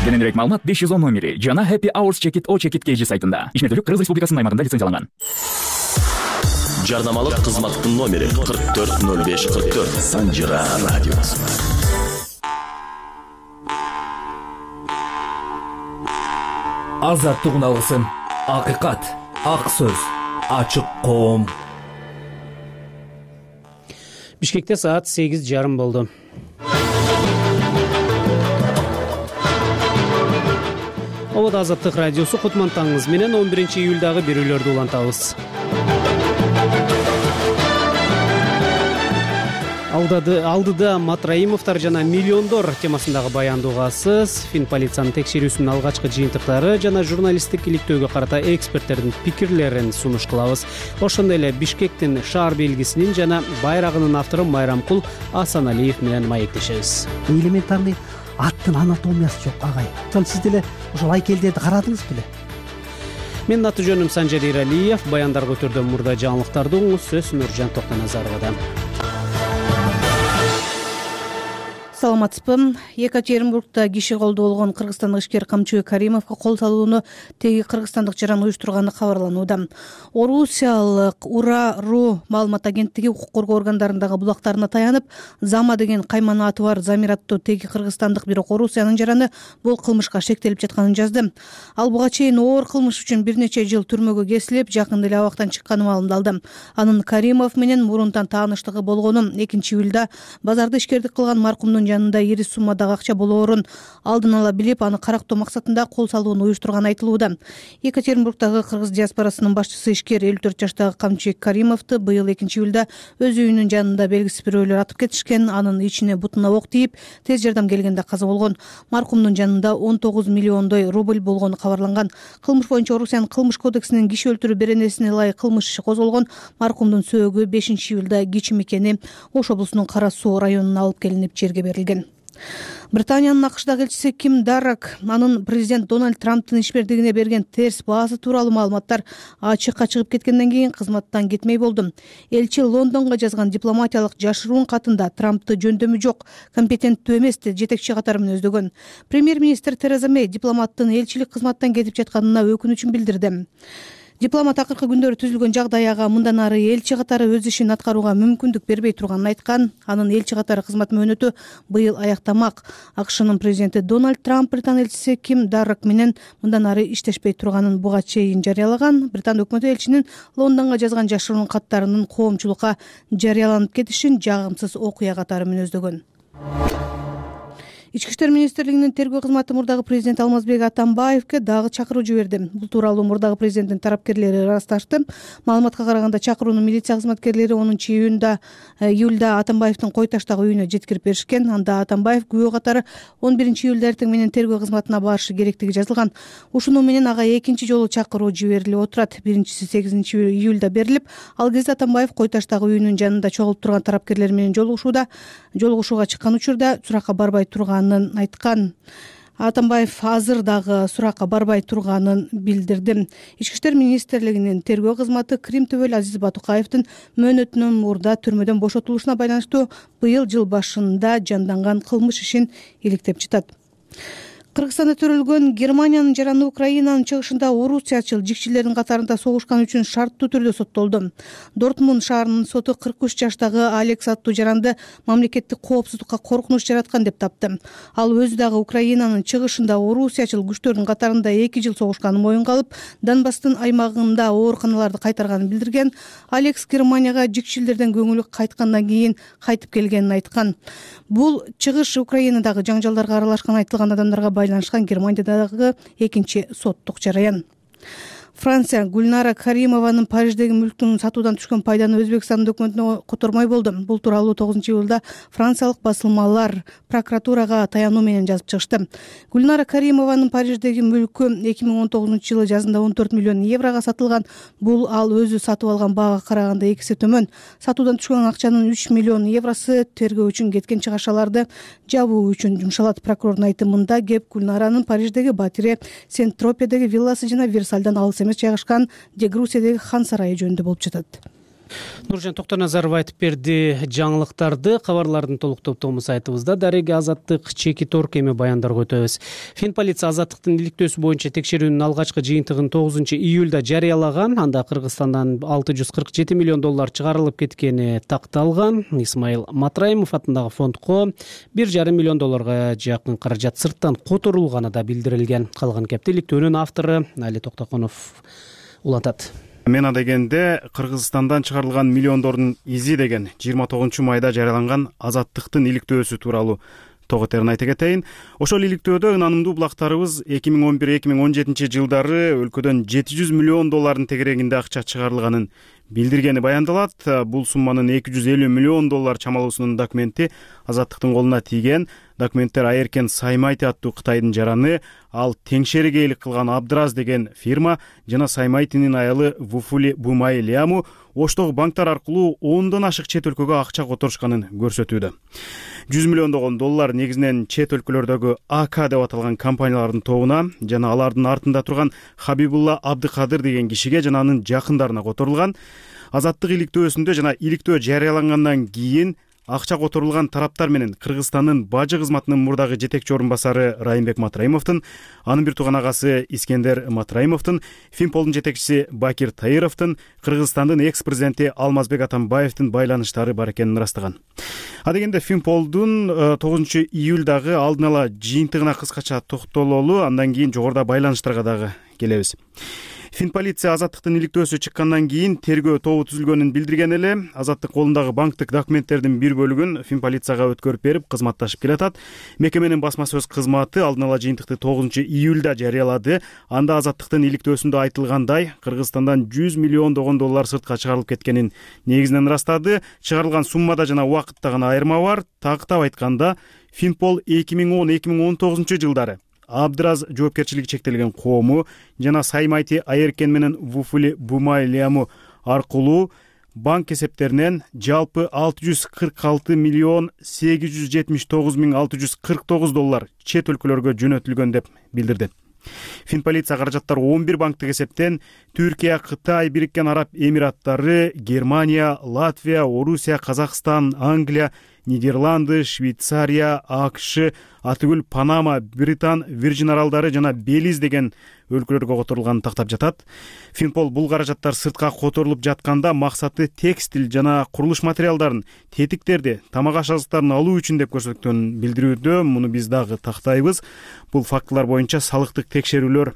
Кененирээк маалымат беш жүз он номери жана Happy Hours Check-it O Check-it кей жи сайтында. Ишмердүүлүк Кыргыз Республикасынын аймагында лицензияланган. Жарнамалык кызматтын номери кырк төрт ноль беш кырк төрт. Санжира радиосу. Азаттык уналгысын, акыйкат, ак сөз, ачык коом. Бишкекте саат сегиз жарым болду. Обод Азаттык радиосу кутмантаңыз менен он биринчи июлдагы берүүлөрдү улантабыз. Алдыда, алдыда Матраимовдор жана миллиондор темасындагы баянды угасыз. Финполициянын текшерүүсүнүн алгачкы жыйынтыктары жана журналисттик иликтөөгө карата эксперттердин пикирлерин сунуш кылабыз. Ошондой эле Бишкектин шаар белгисинин жана байрагынын автору Майрамкул Асаналиев менен маектешебиз. Элементарный аттын анатомиясы жок, агай. Ошол сиз деле ошол айкелдерди карадыңыз беле? Менин аты жөнүм Санжар Иралиев. Баяндар көтөрдөн мурда жаңылыктарды угуңуз. Сөз Нуржан Токтоназаровада. Саламатсызбы. Екатеринбургда киши колдоо болгон кыргызстандык ишкер Камчыбек Каримовго кол салууну теги кыргызстандык жаран уюштурганы кабарланууда. Орусиялык Ура.ру маалымат агенттиги укук коргоо органдарындагы булактарына таянып, Зама деген кайманы аты бар Замир аттуу теги кыргызстандык, бирок Орусиянын жараны бул кылмышка шектелип жатканын жазды. Ал буга чейин оор кылмыш үчүн бир нече жыл түрмөгө кесилип, жакында эле абактан чыкканы маалымдалды. Анын Каримов менен мурунтан тааныштыгы болгону экинчи июлда базарда ишкердик кылган маркумдун жанында ири суммадагы акча болоорун алдын ала билип, аны карактоо максатында кол салууну уюштурганы айтылууда. Екатеринбургдагы кыргыз диаспорасынын башчысы ишкер элүү төрт жаштагы Камчыбек Каримовду быйыл экинчи июлда өз үйүнүн жанында белгисиз бирөөлөр атып кетишкен. Анын ичине бутуна ок тийип, тез жардам келгенде каза болгон. Маркумдун жанында он тогуз миллиондой рубль болгону кабарланган. Кылмыш боюнча Орусиянын кылмыш кодексинин киши өлтүрүү беренесине ылайык кылмыш иши козголгон. Маркумдун сөөгү бешинчи июлда кичи мекени Ош облусунун Кара Суу районуна алып келинип жерге берилген. Британиянын АКШдагы элчиси Ким Даррак анын президент Дональд Трамптын ишмердигине берген терс баасы тууралуу маалыматтар ачыкка чыгып кеткенден кийин кызматтан кетмей болду. Элчи Лондонго жазган дипломатиялык жашыруун катында Трамптты жөндөмү жок, компетенттүү эмес деп жетекчи катары менен өздөгөн. Премьер-министр Тереза Мэй дипломаттын элчилик кызматтан кетип жатканына өкүнүчүн билдирди. Дипломат акыркы күндөрү түзүлгөн жагдай ага мындан ары элчи катары өз ишин аткарууга мүмкүндүк бербей турганын айткан. Анын элчи катары кызмат мөөнөтү быйыл аяктамак. АКШнын президенти Дональд Трамп Британ элчиси Ким Даррак менен мындан ары иштешпей турганын буга чейин жарыялаган. Британ өкмөтү элчинин Лондонго жазган жашыруун каттарынын коомчулукка жарыяланып кетишин жагымсыз окуя катары менен өздөгөн. Ички иштер министрлигинин тергөө кызматы мурдагы президент Алмазбек Атамбаевге дагы чакыруу жиберди. Бул тууралуу мурдагы президенттин тарапкерлери ырасташты. Маалыматка караганда чакырууну милиция кызматкерлери онунчу июнда июлда Атамбаевдин кой таштагы үйүнө жеткирип беришкен. Анда Атамбаев күбө катары он биринчи июлда эртең менен тергөө кызматына барышы керектиги жазылган. Ушуну менен ага экинчи жолу чакыруу жиберилип отурат. Биринчиси сегизинчи июлда берилип, ал кезде Атамбаев кой таштагы үйүнүн жанында чогулуп турган тарапкерлер менен жолугушууда, жолугушууга чыккан учурда суракка барбай турган айткан. Атамбаев азыр дагы суракка барбай турганын билдирди. Ички иштер министрлигинин тергөө кызматы Крим төбөл Азиз Батукаевдин мөөнөтүнүн мурда түрмөдөн бошотулушуна байланыштуу быйыл жыл башында жанданган кылмыш ишин иликтеп жатат. Кыргызстанда төрөлгөн Германиянын жараны Украинанын чыгышында орусиячыл жикчилердин катарында согушкан үчүн шарттуу түрдө соттолду. Дортмунд шаарынын соту кырк үч жаштагы Алекс аттуу жаранды мамлекеттик коопсуздукка коркунуч жараткан деп тапты. Ал өзү дагы Украинанын чыгышында орусиячыл күчтөрдүн катарында эки жыл согушканын моюнга алып, Донбасстын аймагында ооруканаларды кайтарганын билдирген. Алекс Германияга жикчилерден көңүлү кайткандан кийин кайтып келгенин айткан. Бул чыгыш Украинадагы жаңжалдарга аралашкан айтылган адамдарга байланышкан Германиядагы экинчи соттук жараян. Франция Гүлнара Каримованын Париждеги мүлктүн сатуудан түшкөн пайданы Өзбекстандын өкмөтүнө котормой болду. Бул тууралуу тогузунчу июлда франциялык басылмалар прокуратурага таянуу менен жазып чыгышты. Гүлнара Каримованын Париждеги мүлкү эки миң он тогузунчу жылы жазында он төрт миллион еврого сатылган. Бул ал өзү сатып алган баага караганда эки эсе төмөн. Сатуудан түшкөн акчанын үч миллион евросу тергөө үчүн кеткен чыгашаларды жабуу үчүн жумшалат. Прокурордун айтымында кеп Гүлнаранын Париждеги Батире, Сент-Тропедеги вилласы жана Версальдан алыс эмес жайгашкан Дегрусиядеги хан сарайы жөнүндө болуп жатат. Нуржан Токтоназаров айтып берди жаңылыктарды. Кабарлардын толук топтому сайтыбызда дареги Азаттык чеки торк эми баяндарга өтөбүз. Фин полиция Азаттыктын иликтөөсү боюнча текшерүүнүн алгачкы жыйынтыгын тогузунчу июлда жарыялаган. Анда Кыргызстандан алты жүз кырк жети миллион доллар чыгарылып кеткени такталган. Исмаил Матраимов атындагы фондко бир жарым миллион долларга жакын каражат сырттан которулганы да билдирилген. Калган кепти иликтөөнүн автору Али Токтоконов улантат. Мена дегенде Кыргызстандан чыгарылган миллиондордун изи деген жыйырма тогузунчу майда жарыяланган Азаттыктын иликтөөсү тууралуу тогутерин айта кетейин. Ошол иликтөөдө ынанымдуу булактарыбыз эки миң он бир эки миң он жетинчи жылдары өлкөдөн жети жүз миллион доллардын тегерегинде акча чыгарылганын билдиргени баяндалат. Бул сумманын эки жүз элүү миллион доллар чамалуусунун документи Азаттыктын колуна тийген. Документтер Айеркен Саймайти аттуу Кытайдын жараны, ал теңшериге ээлик кылган Абдраз деген фирма жана Саймайтинин аялы Вуфули Бумай Лиаму оштогу банктар аркылуу ондон ашык чет өлкөгө акча которушканын көрсөтүүдө. жүз миллиондогон доллар негизинен чет өлкөлөрдөгү АК деп аталган компаниялардын тобуна жана алардын артында турган Хабибулла Абдыкадыр деген кишиге жана анын жакындарына которулган. Азаттык иликтөөсүндө жана иликтөө жарыялангандан кийин акча которулган тараптар менен Кыргызстандын бажы кызматынын мурдагы жетекчи орун басары Райымбек Матраимовдун, анын бир тууган агасы Искендер Матраимовдун, Финполдун жетекчиси Бакир Таировдун, Кыргызстандын экс-президенти Алмазбек Атамбаевдин байланыштары бар экенин ырастаган. А дегенде Финполдун тогузунчу июлдагы алдын ала жыйынтыгына кыскача токтололу, андан кийин жогоруда байланыштарга дагы келебиз. Фин полиция Азаттыктын иликтөөсү чыккандан кийин тергөө тобу түзүлгөнүн билдирген эле. Азаттык колундагы банктык документтердин бир бөлүгүн Фин полицияга өткөрүп берип кызматташып келатат. Мекеменин басма сөз кызматы алдын ала жыйынтыкты тогузунчу июлда жарыялады. Анда Азаттыктын иликтөөсүндө айтылгандай, Кыргызстандан жүз миллиондогон доллар сыртка чыгарылып кеткенин негизинен ырастады. Чыгарылган суммада жана убакытта гана айырма бар. Тактап айтканда, Финпол эки миң он эки миң он тогузунчу жылдары Абдраз жоопкерчилиги чектелген коому жана Саймайти Айеркен менен Вуфули Бумай Лиаму аркылуу банк эсептеринен жалпы алты жүз кырк алты миллион сегиз жүз жетимиш тогуз миң алты жүз кырк тогуз доллар чет өлкөлөргө жөнөтүлгөн деп билдирди. Фин полиция каражаттар он бир банктык эсептен Түркия, Кытай, Бириккен Араб Эмираттары, Германия, Латвия, Орусия, Казакстан, Англия, Нидерланды, Швейцария, АКШ, Атыгүл, Панама, Британ, Вирджин аралдары жана Белиз деген өлкөлөргө которулганын тактап жатат. Финпол бул каражаттар сыртка которулуп жатканда максаты текстиль жана курулуш материалдарын, тетиктерди, тамак ашыктарын алуу үчүн деп көрсөткөнүн билдирүүдө. Муну биз дагы тактайбыз. Бул фактылар боюнча салыктык текшерүүлөр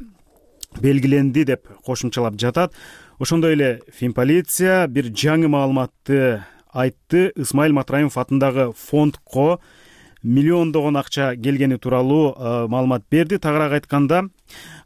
белгиленди деп кошумчалап жатат. Ошондой эле Фин полиция бир жаңы маалыматты айтты. Исмаил Матраимов атындагы фондко миллиондогон акча келгени тууралуу маалымат берди. Тагыраак айтканда,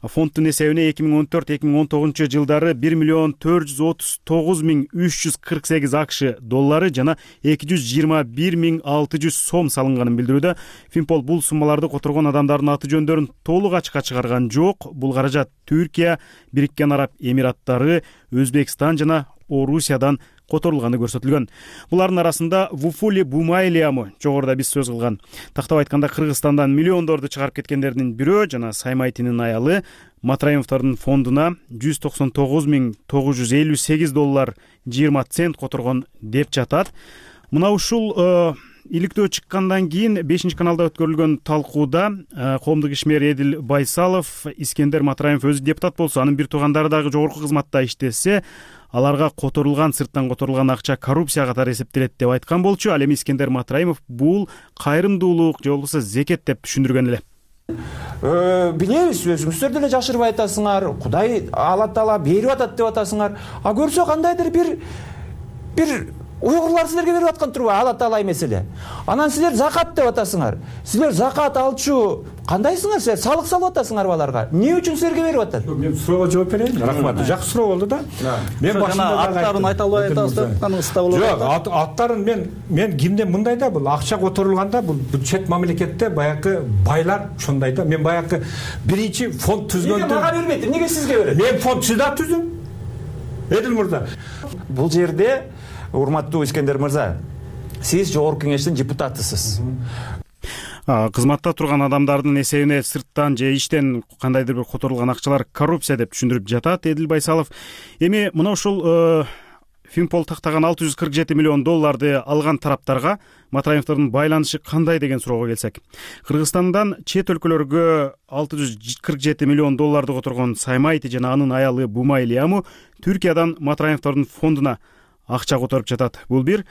фонддун эсебине эки миң он төрт эки миң он тогузунчу жылдары бир миллион төрт жүз отуз тогуз миң үч жүз кырк сегиз АКШ доллары жана эки жүз жыйырма бир миң алты жүз сом салынганын билдирүүдө. Финпол бул суммаларды которгон адамдардын аты жөндөрүн толук ачыкка чыгарган жок. Бул каражат Түркия, Бириккен Араб Эмираттары, Өзбекстан жана Орусиядан которулганы көрсөтүлгөн. Булардын арасында Вуфули Бумай Лиаму жогоруда биз сөз кылган. Тактап айтканда Кыргызстандан миллиондорду чыгарып кеткендердин бирөө жана Саймайтинин аялы Матраимовдордун фондуна жүз токсон тогуз миң тогуз жүз элүү сегиз доллар жыйырма цент которгон деп жатат. Мына ушул иликтөө чыккандан кийин бешинчи каналда өткөрүлгөн талкууда коомдук ишмер Эдил Байсалов, Искендер Матраимов өзү депутат болсо, анын бир туугандары дагы жогорку кызматта иштесе, аларга которулган, сырттан которулган акча коррупция катары эсептелет деп айткан болчу. Ал эми Искендер Матраимов бул кайрымдуулук же болбосо зекет деп түшүндүргөн эле. Билебиз, өзүңүздөр деле жашырбай атасыңар, Кудай Алла Таала берип атат деп атасыңар. А көрсө кандайдыр бир бир уйгурлар силерге берип аткан турбайбы? Алла Таала эмес эле. Анан силер закат деп атасыңар. Силер закат алчу кандайсыңар? Силер салык салып атасыңар аларга. Эмне үчүн силерге берип атат? Мен суроого жооп берейин. Рахмат. Жакшы суроо болду да. Мен башында аттарын айта албай атасыздар. Каныңызда болот. Жок, аттарын мен мен кимде мындай да, бул акча которулганда бул чет мамлекетте баягы байлар ошондой да. Мен баягы биринчи фонд түзгөндө. Эмне мага бербейт? Эмнеге сизге берет? Мен фонд сизда түздүм. Эдил мырза. Бул жерде урматтуу Искендер мырза, сиз жогорку кеңештин депутатысыз. Кызматта турган адамдардын эсебине сырттан же иштен кандайдыр бир которулган акчалар коррупция деп түшүндүрүп жатат Эдил Байсалов. Эми мына ушул Финпол тактаган алты жүз кырк жети миллион долларды алган тараптарга Матраимовдордун байланышы кандай деген суроого келсек, Кыргызстандан чет өлкөлөргө алты жүз кырк жети миллион долларды которгон Саймайти жана анын аялы Бумай Лиаму Түркиядан Матраимовдордун фондуна акча которуп жатат. Бул бир.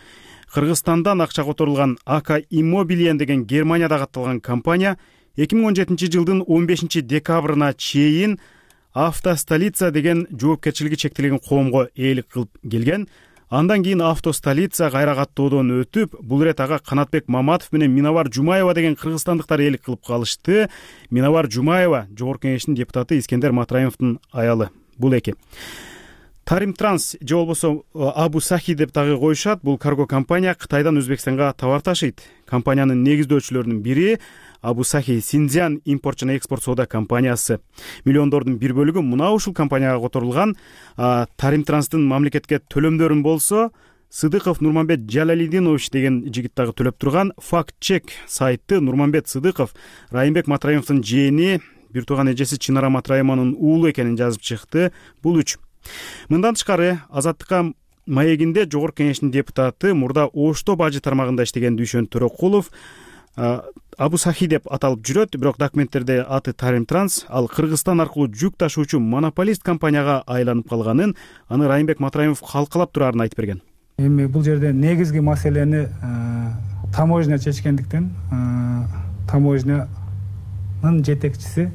Кыргызстандан акча которулган АК Иммобилиен деген Германиядагы атталган компания эки миң он жетинчи жылдын он бешинчи декабрына чейин Автостолица деген жоопкерчилиги чектелген коомго ээлик кылып келген. Андан кийин Автостолица кайра каттоодон өтүп, бул ирет ага Канатбек Маматов менен Миновар Жумаева деген кыргызстандыктар ээлик кылып калышты. Миновар Жумаева жогорку кеңештин депутаты Искендер Матраимовдун аялы. Бул эки. Тарим Транс же болбосо Абу Сахи деп дагы коюшат. Бул карго компания Кытайдан Өзбекстанга товар ташыйт. Компаниянын негиздөөчүлөрүнүн бири Абу Сахи Синьцзян импорт жана экспорт соода компаниясы. Миллиондордун бир бөлүгү мына ушул компанияга которулган. Тарим Транстын мамлекетке төлөмдөрүн болсо Сыдыков Нурманбет Жалалидинович деген жигит дагы төлөп турган. Факт чек сайты Нурманбет Сыдыков Райымбек Матраимовдун жээни, бир тууган эжеси Чынара Матраимованын уулу экенин жазып чыкты. Бул үч. Мындан тышкары Азаттыкка маегинде жогорку кеңештин депутаты мурда Ошто бажы тармагында иштеген Дүйшөн Төрөкулов Абу Сахи деп аталып жүрөт, бирок документтерде аты Тарим Транс, ал Кыргызстан аркылуу жүк ташуучу монополист компанияга айланып калганын, аны Райымбек Матраимов калкалап турарын айтып берген. Эми бул жерде негизги маселени таможня чечкендиктен таможнянын жетекчиси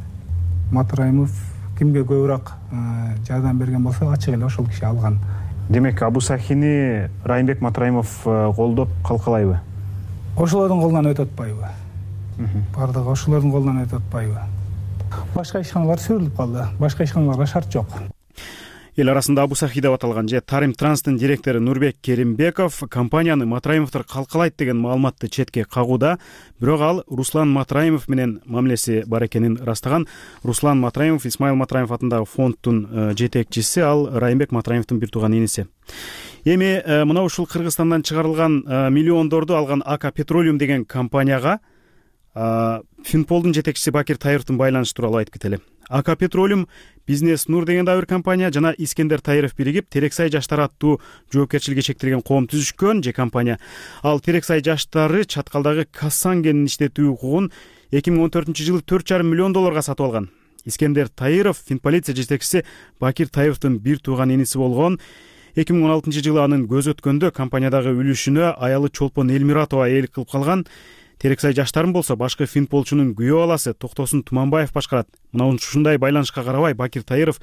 Матраимов кимге көбүрөөк жардам берген болсо ачык эле ошол киши алган. Демек Абу Сахини Райымбек Матраимов колдоп калкалайбы? Ошолордун колунан өтө атпайбы? Бардыгы ошолордун колунан өтө атпайбы? Башка ишканалар сүрүлүп калды. Башка ишканаларга шарт жок. Эл арасында Абу Сахи деп аталган же Тарим Транстын директору Нурбек Керимбеков компанияны Матраимовдор калкалайт деген маалыматты четке кагууда, бирок ал Руслан Матраимов менен мамилеси бар экенин растаган. Руслан Матраимов Исмаил Матраимов атындагы фонддун жетекчиси, ал Райымбек Матраимовдун бир тууган иниси. Эми мына ушул Кыргызстандан чыгарылган миллиондорду алган АК Петролиум деген компанияга Финполдун жетекчиси Бакир Таировдун байланышы тууралуу айтып кетели. АК Петролиум Бизнес Нур деген дагы бир компания жана Искендер Таиров биригип Терексай жаштар аттуу жоопкерчилиги чектелген коом түзүшкөн же компания. Ал Терексай жаштары чаткалдагы Кассан кенин иштетүү укугун эки миң он төртүнчү жылы төрт жарым миллион долларга сатып алган. Искендер Таиров Финполиция жетекчиси Бакир Таировдун бир тууган иниси болгон. эки миң он алтынчы жылы анын көзү өткөндө компаниядагы үлүшүнө аялы Чолпон Элмиратова ээлик кылып калган. Терексай жаштарын болсо башкы финполчунун күйөө баласы Токтосун Туманбаев башкарат. Мына ушундай байланышка карабай Бакир Таиров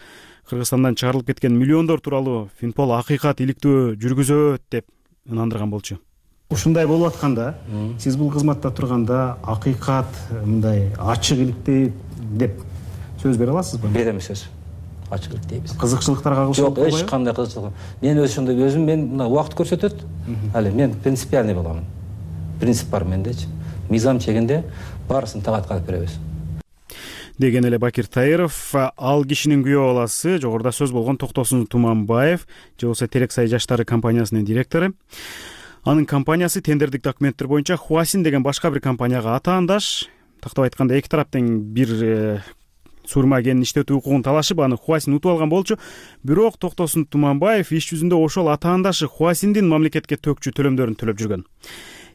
Кыргызстандан чыгарылып кеткен миллиондор тууралуу Финпол акыйкат иликтөө жүргүзөт деп ынандырган болчу. Ушундай болуп атканда, сиз бул кызматта турганда акыйкат мындай ачык иликтей деп сөз бере аласызбы? Берем сөз. Ачык иликтейбиз. Кызыкчылыктарга кылышып жок, эч кандай кызыкчылык. Мен өзү ошондой өзүм мен мына убакыт көрсөтөт. Али мен принципиальный боламын. Принцип бар мендечи. Мизам чегинде баарысын тагатка алып беребиз. Деген эле Бакир Таиров. Ал кишинин күйөө баласы жогоруда сөз болгон Токтосун Туманбаев же болбосо Терексай жаштары компаниясынын директору. Анын компаниясы тендердик документтер боюнча Хуасин деген башка бир компанияга атаандаш. Тактап айтканда эки тараптын бир сурма кенин иштетүү укугун талашып, аны Хуасин утуп алган болчу. Бирок Токтосун Туманбаев иш жүзүндө ошол атаандашы Хуасиндин мамлекетке төкчү төлөмдөрүн төлөп жүргөн.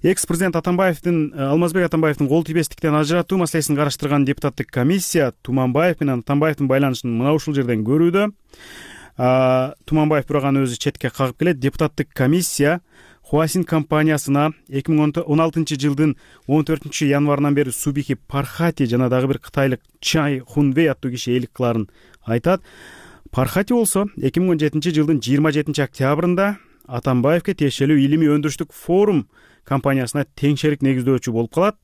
Экс-президент Атамбаевдин Алмазбек Атамбаевдин кол тийбестиктен ажыратуу маселесин караштырган депутаттык комиссия Туманбаев менен Атамбаевдин байланышын мына ушул жерден көрүүдө. Туманбаев бирок аны өзү четке кагып келет. Депутаттык комиссия Хуасин компаниясына эки миң он алтынчы жылдын он төртүнчү январынан бери Субихи Пархати жана дагы бир кытайлык Чай Хунвей аттуу киши ээлик кыларын айтат. Пархати болсо эки миң он жетинчи жылдын жыйырма жетинчи октябрында Атамбаевке тиешелүү илимий өндүрүштүк форум компаниясына теңшерик негиздөөчү болуп калат.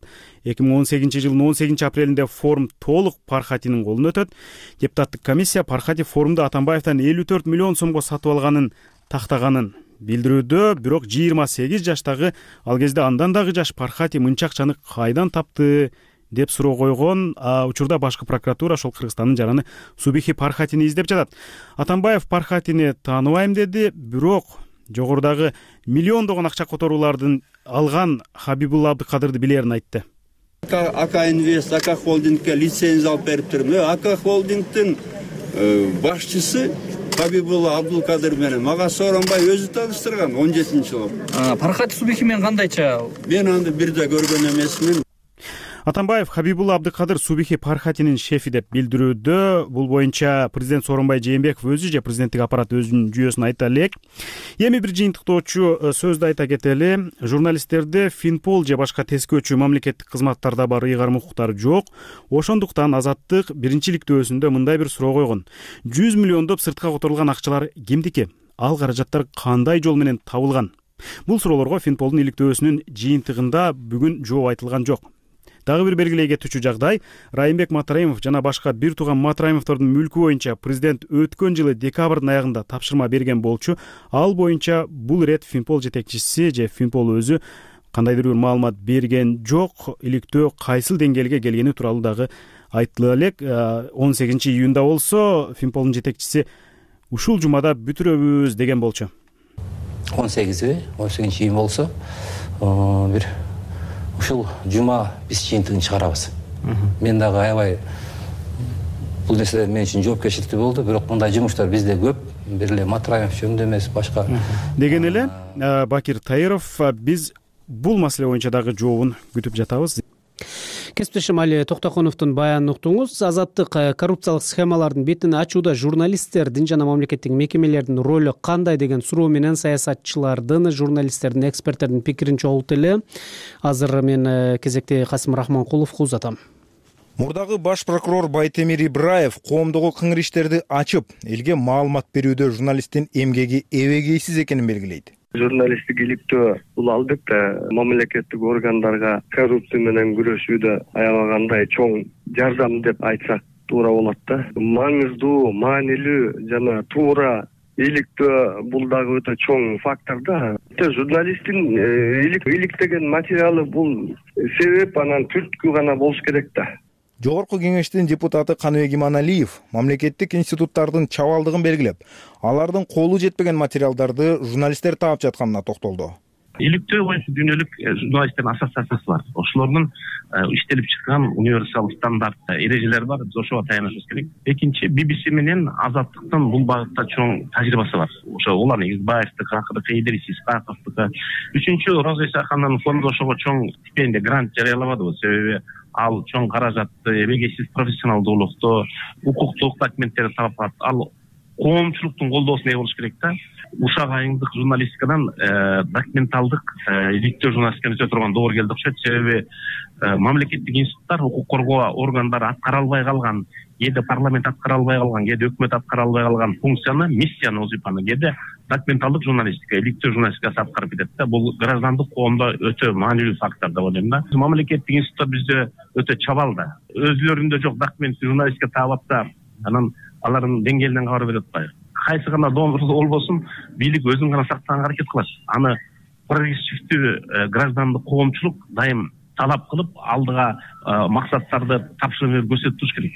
эки миң он сегизинчи жылдын он сегизинчи апрелинде форум толук Пархатинин колуна өтөт. Депутаттык комиссия Пархати форумду Атамбаевден элүү төрт миллион сомго сатып алганын тактаганын билдирүүдө, бирок жыйырма сегиз жаштагы, ал кезде андан дагы жаш Пархати мынча акчаны кайдан тапты деп суроо койгон. Учурда башкы прокуратура ошол Кыргызстандын жараны Субихи Пархатини издеп жатат. Атамбаев Пархатини тааныбайм деди, бирок жогорудагы миллиондогон акча которуулардын алган Хабибулла Абдыкадырды билерин айтты. АК Инвест, АК Холдингке лицензия алып берип турмун. АК Холдингдин башчысы Хабибулла Абдыкадыр менен мага сооронбай өзү тааныштырган он жетинчи жылы. Пархати Субихи менен кандайча? Мен аны бир да көргөн эмесмин. Атамбаев Хабибулла Абдыкадыр Субихи Пархатинин шефи деп билдирүүдө. Бул боюнча президент Сооронбай Жээнбеков өзү же президенттик аппарат өзүнүн жүйөсүн айта элек. Эми бир жыйынтыктоочу сөздү айта кетели. Журналисттерде Финпол же башка тескөөчү мамлекеттик кызматтарда бар ыйгарым укуктары жок. Ошондуктан Азаттык биринчиликтөөсүндө мындай бир суроо койгон. жүз миллиондоп сыртка которулган акчалар кимдики? Ал каражаттар кандай жол менен табылган? Бул суроолорго Финполдун иликтөөсүнүн жыйынтыгында бүгүн жооп айтылган жок. Дагы бир белгилей кетүүчү жагдай, Райымбек Матраимов жана башка бир тууган Матраимовдордун мүлкү боюнча президент өткөн жылы декабрдын аягында тапшырма берген болчу. Ал боюнча бул ирет Финпол жетекчиси же Финпол өзү кандайдыр бир маалымат берген жок. Иликтөө кайсыл деңгээлге келгени тууралуу дагы айтыла элек. он сегизинчи июнда болсо Финполдун жетекчиси ушул жумада бүтүрөбүз деген болчу. он сегизи он сегизинчи июнь болсо бир ушул жума биз жыйынтыгын чыгарабыз. Мен дагы аябай бул нерсе мен үчүн жоопкерчиликтүү болду, бирок мындай жумуштар бизде көп, бир эле Матраимов жөнүндө эмес, башка. Деген эле Бакир Таиров, биз бул маселе боюнча дагы жообун күтүп жатабыз. Кесиптешим Али Токтоконовдун баянын уктуңуз. Азаттык коррупциялык схемалардын бетин ачууда журналисттердин жана мамлекеттик мекемелердин ролу кандай деген суроо менен саясатчылардын, журналисттердин, эксперттердин пикирин чогулту эле. Азыр мен кезекте Касым Рахманкуловго узатам. Мурдагы баш прокурор Байтемир Ибраев коомдогу кыңыр иштерди ачып, элге маалымат берүүдө журналисттин эмгеги эбегейсиз экенин белгилейт. Журналисттик иликтөө бул албетте мамлекеттик органдарга коррупция менен күрөшүүдө аябагандай чоң жардам деп айтсак туура болот да. Маңыздуу, маанилүү жана туура иликтөө бул дагы өтө чоң фактор да. Журналисттин иликтеген материалы бул себеп, анан түрткү гана болуш керек да. Жогорку кеңештин депутаты Каныбек Иманалиев мамлекеттик институттардын чабалдыгын белгилеп, алардын колу жетпеген материалдарды журналисттер таап жатканына токтолду. Иликтөө боюнча дүйнөлүк журналисттердин ассоциациясы бар. Ошолордун иштелип чыккан универсал стандарт эрежелери бар. Биз ошого таянышыбыз керек. Экинчи, би би си менен Азаттыктын бул багытта чоң тажрыйбасы бар. Ошо уларны Избаевдик, Акыркы, Идрис Исхаковдук. Үчүнчү, Роза Исахановдун фонду ошого чоң стипендия, грант жарыялабады. Себеби ал чоң каражатты, эбегейсиз профессионалдуулукту, укуктук документтерди таап, ал коомчулуктун колдоосуна ээ болуш керек да. Ушак айымдык журналистикадан документалдык иликтөө журналистиканы өтө турган доор келди окшойт. Себеби мамлекеттик институттар, укук коргоо органдары аткара албай калган, кээде парламент аткара албай калган, кээде өкмөт аткара албай калган функцияны, миссияны, вазифаны кээде документалдык журналистика, иликтөө журналистикасы аткарып кетет да. Бул граждандык коомдо өтө маанилүү фактор деп ойлойм да. Мамлекеттик институттар бизде өтө чабал да. Өзүлөрүндө жок документ журналистика таап атса, анан алардын деңгээлинен кабар бере атпайбы. Кайсы гана донордуу болбосун, бийлик өзүн гана сактаганга аракет кылат. Аны прогрессивдүү граждандык коомчулук дайым талап кылып, алдыга максаттарды тапшырып көрсөтүп туруш керек.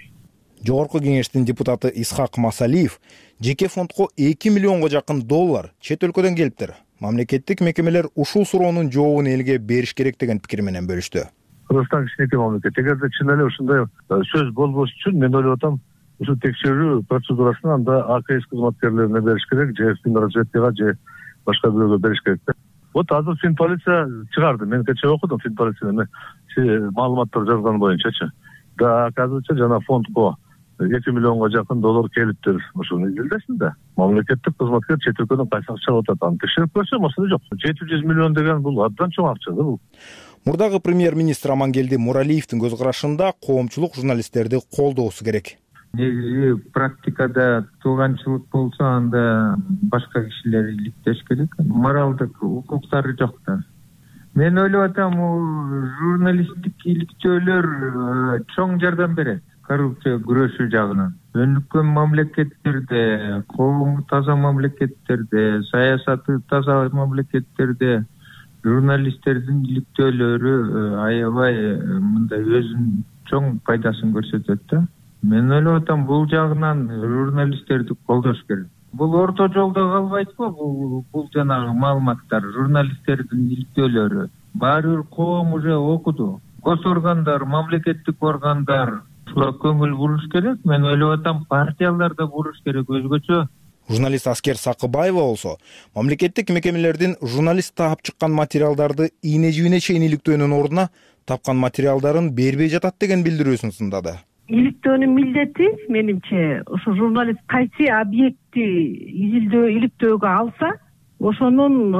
Жогорку кеңештин депутаты Исхак Масалиев жеке фондко эки миллионго жакын доллар чет өлкөдөн келиптир. Мамлекеттик мекемелер ушул суроонун жообун элге бериш керек деген пикир менен бөлүштү. Кыргызстан кичинекей мамлекет. Эгерде чын эле ушундай сөз болбош үчүн мен ойлоп атам, ушул текшерүү процедурасын анда АКС кызматкерлерине бериш керек, же Финразведкага, же башка бирөөгө бериш керек. Вот азыр Фин полиция чыгарды. Мен кечээ окудум Фин полицияны маалыматтар жазган боюнчачы. Да, оказывается, жана фондко эки миллионго жакын доллар келиптир. Ошону изилдесин да. Мамлекеттик кызматкер чет өлкөдөн кайсы акча алып атат, аны текшерип көрсө маселе жок. жети жүз миллион деген бул абдан чоң акча да бул. Мурдагы премьер-министр Амангелди Муралиевдин көз карашында коомчулук журналисттерди колдоосу керек. негизи практикада тууганчылык болсо анда башка кишилер иликтеш керек, моралдык укуктары жок да. Мен ойлоп атам, журналисттик иликтөөлөр чоң жардам берет коррупция күрөшүү жагынан. Өнүккөн мамлекеттерде, коому таза мамлекеттерде, саясаты таза мамлекеттерде журналисттердин иликтөөлөрү аябай мындай өзүнүн чоң пайдасын көрсөтөт да. Мен ойлоп атам, бул жагынан журналисттерди колдош керек. Бул орто жолдо калбайт-го, бул бул жанагы маалыматтар, журналисттердин иликтөөлөрү. Баары бир коом уже окуду. Гос органдар, мамлекеттик органдар ушуга көңүл буруш керек. Мен ойлоп атам, партиялар да буруш керек өзгөчө. Журналист Аскер Сакыбаева болсо, мамлекеттик мекемелердин журналист таап чыккан материалдарды ийне жибине чейин иликтөөнүн ордуна тапкан материалдарын бербей жатат деген билдирүүсүн сындады. Иликтөөнүн милдети менимче ошо журналист кайсы объектти изилдөө иликтөөгө алса, ошонун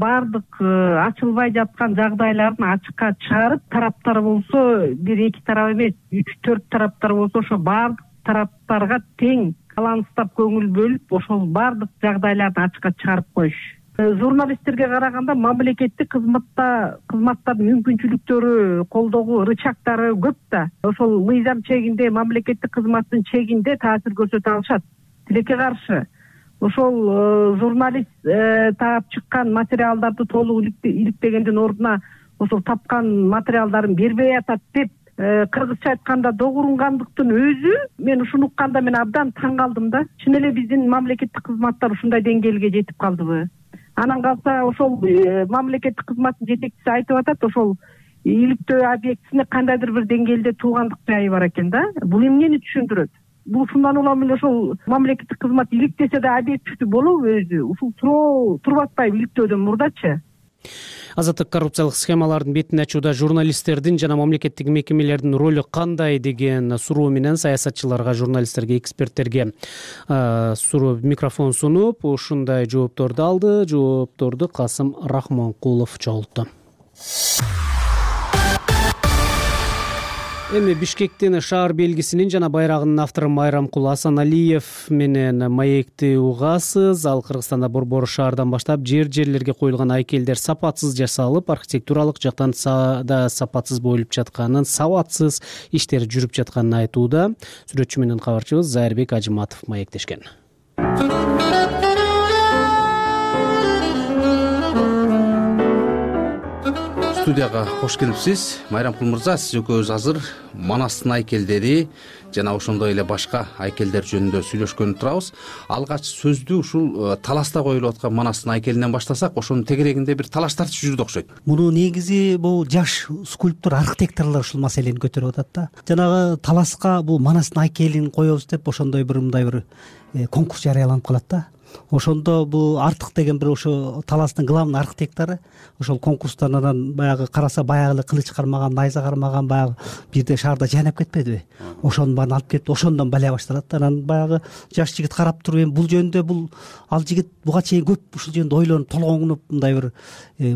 баардык ачылбай жаткан жагдайларын ачыкка чыгарып, тараптар болсо бир эки тарап эмес, үч төрт тараптар болсо ошо баардык тараптарга тең баланстап көңүл бөлүп, ошол баардык жагдайларды ачыкка чыгарып коюш. Журналисттерге караганда мамлекеттик кызматта кызматтардын мүмкүнчүлүктөрү, колдогуу рычагдары көп да. Ошол мыйзам чегинде, мамлекеттик кызматтын чегинде таасир көрсөтө алышат. Тилекке каршы ошол журналист таап чыккан материалдарды толук иликтегендин ордуна ошол тапкан материалдарын бербей атат деп кыргызча айтканда догурунгандыктын өзү, мен ушуну укканда мен абдан таң калдым да. Чын эле биздин мамлекеттик кызматтар ушундай деңгээлге жетип калдыбы? Анан калса ошол мамлекеттик кызматтын жетекчиси айтып атат, ошол иликтөө объектисине кандайдыр бир деңгээлде туугандык жайы бар экен да. Бул эмнени түшүндүрөт? Бул ушундан улам эле ошол мамлекеттик кызмат иликтесе да объективдүү болобу өзү? Ушул туроо туруп атпайбы иликтөөдөн мурдачы? Азаттык коррупциялык схемалардын бетин ачууда журналисттердин жана мамлекеттик мекемелердин ролу кандай деген суроо менен саясатчыларга, журналисттерге, эксперттерге суроо микрофон сунуп, ушундай жоопторду алды. Жоопторду Касым Рахмонкулов чогултту. Эми Бишкектин шаар белгисинин жана байрагынын автору Майрамкул Асаналиев менен маекти угасыз. Ал Кыргызстанда борбор шаардан баштап жер жерлерге коюлган айкелдер сапатсыз жасалып, архитектуралык жактан да сапатсыз боюлуп жатканын, сабатсыз иштер жүрүп жатканын айтууда. Сүрөтчү менен кабарчыбыз Зайырбек Ажыматов маектешкен. Студияга кош келипсиз. Майрамкул мырза, сиз экөөбүз азыр Манастын айкелдери жана ошондой эле башка айкелдер жөнүндө сүйлөшкөнү турабыз. Алгач сөздү ушул таласта коюлуп аткан Манастын айкелинен баштасак, ошонун тегерегинде бир талаш тартыш жүрдү окшойт. Муну негизи бул жаш скульптор, архитекторлор ушул маселени көтөрүп атат да. Жанагы таласка бул Манастын айкелин коебуз деп ошондой бир мындай бир конкурс жарыяланып калат да. Ошондо бул Артык деген бир ошо таластын главный архитектору ошол конкурстан анан баягы караса баягы эле кылыч кармаган, найза кармаган баягы бирде шаарда жайнап кетпедиби? Ошонун баарын алып келип, ошондон балия башталат. Анан баягы жаш жигит карап туруп, эми бул жөнүндө бул ал жигит буга чейин көп ушул жөнүндө ойлонуп, толгоңунуп мындай бир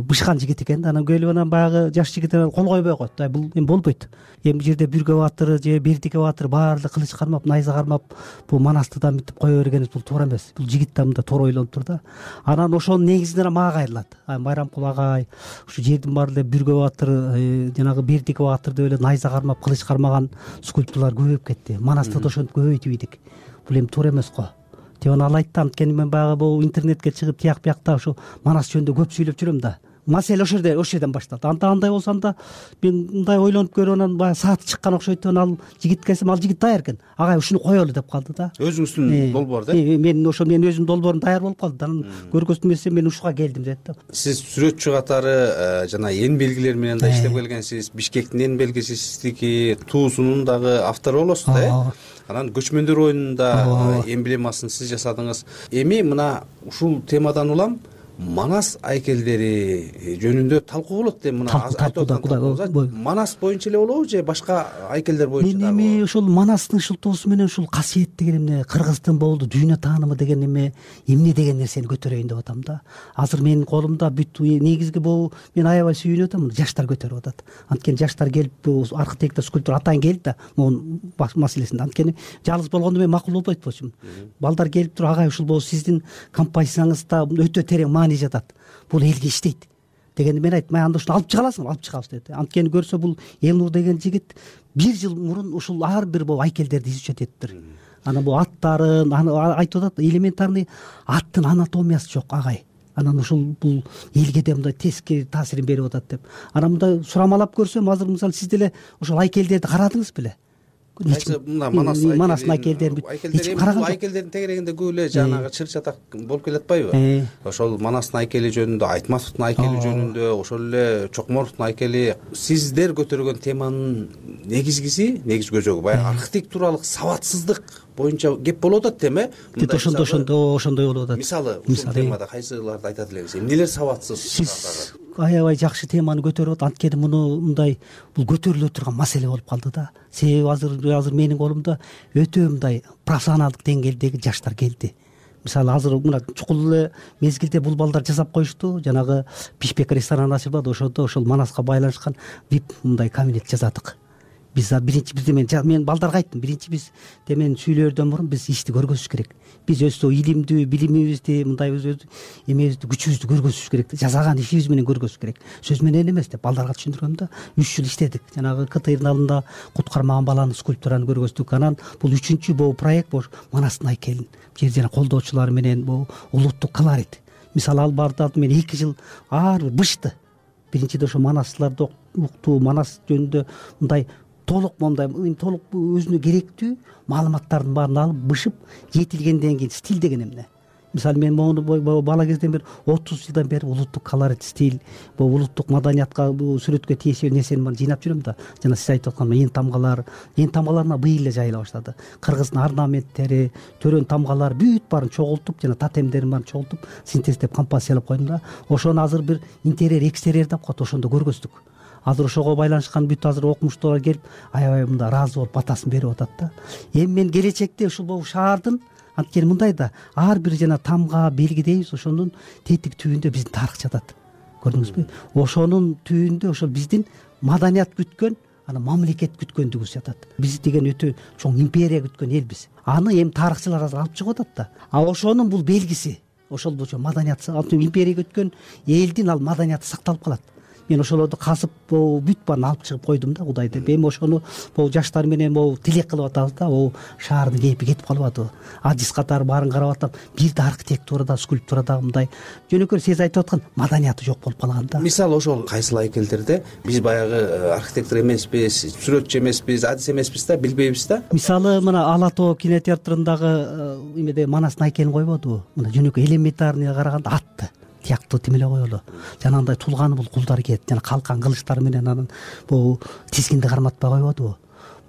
бышкан жигит экен. Анан келип анан баягы жаш жигит анан кол койбой коет. Ай бул эми болбойт. Эми бул жерде Бүргө баатыр же Бердике баатыр баары эле кылыч кармап, найза кармап, бул Манасты да мынтип кое бергенибиз бул туура эмес. Бул жигит да мында туура ойлонуп тур да. Анан ошонун негизинен мага кайрылат. Ай Майрамкул агай, ушу жердин баары эле Бүргө баатыр, жанагы Бердике баатыр деп эле найза кармап, кылыч кармаган скульптурлар көбөйүп кетти. Манасты да ошентип көбөйтүп ийдик. Бул эми туура эмес го деп анан ал айтты. Анткени мен баягы бул интернетке чыгып тияк биякта ушу Манас жөнүндө көп сүйлөп жүрөм да. Маселе ошол жерде, ошол жерден башталды. Анда андай болсо анда мен мындай ойлонуп көрүп анан баягы сааты чыккан окшойт. Анан ал жигитке келсем, ал жигит даяр экен. Агай ушуну коелу деп калды да. Өзүңүздүн долбоор да? Мен ошо менин өзүмдүн долбоорум даяр болуп калды. Анан көргөзмө эмесе мен ушуга келдим дедим да. Сиз сүрөтчү катары жана эн белгилер менен да иштеп келгенсиз. Бишкектин эн белгиси сиздики, туусунун дагы автору болосуз да, э? Анан көчмөндөр оюнунун да эмблемасын сиз жасадыңыз. Эми мына ушул темадан улам манас айкелдери жөнүндө талкуу болот деп мына айтып аткан. Манас боюнча эле болобу же башка айкелдер боюнча? Мен эми ошол манастын шылтоосу менен ушул касиет деген эмне, кыргыздын болду дүйнө таанымы деген эме эмне деген нерсени көтөрөйүн деп атам да. Азыр менин колумда бүт негизги бул мен аябай сүйүнүп атам, жаштар көтөрүп атат. Анткени жаштар келип бул архитектор, скульптор атайын келди да могу маселесинде. Анткени жалгыз болгондо мен макул болбойт болчумун. Балдар келип туруп агай ушул бул сиздин композицияңызда өтө терең маани жатат. Бул элге иштейт дегенде мен айттым, анда ушуну алып чыга аласыңбы? Алып чыгабыз деди. Анткени көрсө бул Элнур деген жигит бир жыл мурун ушул ар бир бул айкелдерди изучать этиптир. Анан бул аттарын айтып атат, элементарный аттын анатомиясы жок агай. Анан ушул бул элге да мындай тескери таасирин берип атат деп. Анан мындай сурамалап көрсөм, азыр мисалы сиз деле ошол айкелдерди карадыңыз беле? Мына манастын айкелдерин айкелдердин тегерегинде көп эле жанагы чыр чатак болуп келатпайбы? Ошол манастын айкели жөнүндө, Айтматовдун айкели жөнүндө, ошол эле Чокморовдун айкели, сиздер көтөргөн теманын негизгиси, негиз көзөгү баягы архитектуралык сабатсыздык боюнча кеп болуп атат тем, э? Ошондой ошондой ошондой болуп атат. Мисалы, ушул темада кайсыларды айтат элеңиз? Эмнелер сабатсыз? Сиз аябай жакшы теманы көтөрүп атат. Анткени муну мындай бул көтөрүлө турган маселе болуп калды да. Себеби азыр азыр менин колумда өтө мындай профессионалдык деңгээлдеги жаштар келди. Мисалы азыр мына чукул эле мезгилде бул балдар жасап коюшту. Жанагы Бишбек ресторан ачылды, ошондо ошол Манаска байланышкан вип мындай кабинет жасадык. Биз биринчи бизде мен мен балдарга айттым, биринчи биз темен сүйлөөрдөн мурун биз ишти көргөзүш керек. Биз өстө илимдүү, билимибизди, мындай өз эмебизди, күчүбүздү көргөзүш керек. Жасаган ишибиз менен көргөзүш керек. Сөз менен эмес деп балдарга түшүндүрөм да. үч жыл иштедик. Жанагы КТРдын алдында куткармаган баланын скульптураны көргөздүк. Анан бул үчүнчү бул проект бул Манастын айкелин жер жана колдоочулар менен бул улуттук колорит. Мисалы ал барды мен эки жыл ар бир бышты. Биринчиде ошо манастарды уктуу, манас жөнүндө мындай толук мындай толук өзүнө керектүү маалыматтардын баарын алып бышып, жетилгенден кийин стиль деген эмне. Мисалы мен мону бала кезден бери отуз жылдан бери улуттук колорит стиль, бул улуттук маданиятка сүрөткө тиешелүү нерсени жыйнап жүрөм да. Жана сиз айтып аткан эң тамгалар, эң тамгаларына быйыл эле жайыла баштады. Кыргыздын орнаменттери, төрөн тамгалар бүт баарын чогултуп, жана тотемдерин баарын чогултуп, синтездеп композициялап койдум да. Ошону азыр бир интерьер, экстерьер деп коет, ошондо көргөздүк. Азыр ошого байланышкан бүт азыр окумуштуулар келип, аябай мындай ыраазы болуп батасын берип атат да. Эми мен келечекте ушул бул шаардын анткени мындай да, ар бир жана тамга, белги дейбиз, ошонун тетик түбүндө биздин тарых жатат. Көрдүңүзбү? Ошонун түбүндө ошол биздин маданият күткөн, анан мамлекет күткөндүгүбүз жатат. Биз деген өтө чоң империя күткөн элбиз. Аны эми тарыхчылар азыр алып чыгып атат да. А ошонун бул белгиси, ошол болчу маданият, империя күткөн элдин ал маданияты сакталып калат. Мен ошолорду казып бүт баарын алып чыгып койдум да, Кудай деп. Эми ошону бул жаштар менен бул тилек кылып атабыз да, бул шаардын кейпи кетип калып атабы. Адис катары баарын карап атам, бир да архитектурада, скульптурада мындай жөнөкөй сиз айтып аткан маданияты жок болуп калган да. Мисалы ошол кайсыл айкелдерде биз баягы архитектор эмеспиз, сүрөтчү эмеспиз, адис эмеспиз да, билбейбиз да. Мисалы мына Ала Тоо кинотеатрындагы эмеде Манастын айкелин койбодубу? Мына жөнөкөй элементарный караганда атты тияктуу тим эле коелу. Жана андай тулганы бул кулдар кийет, жана калкан кылычтар менен анан бул тизгинди карматпай койбодубу?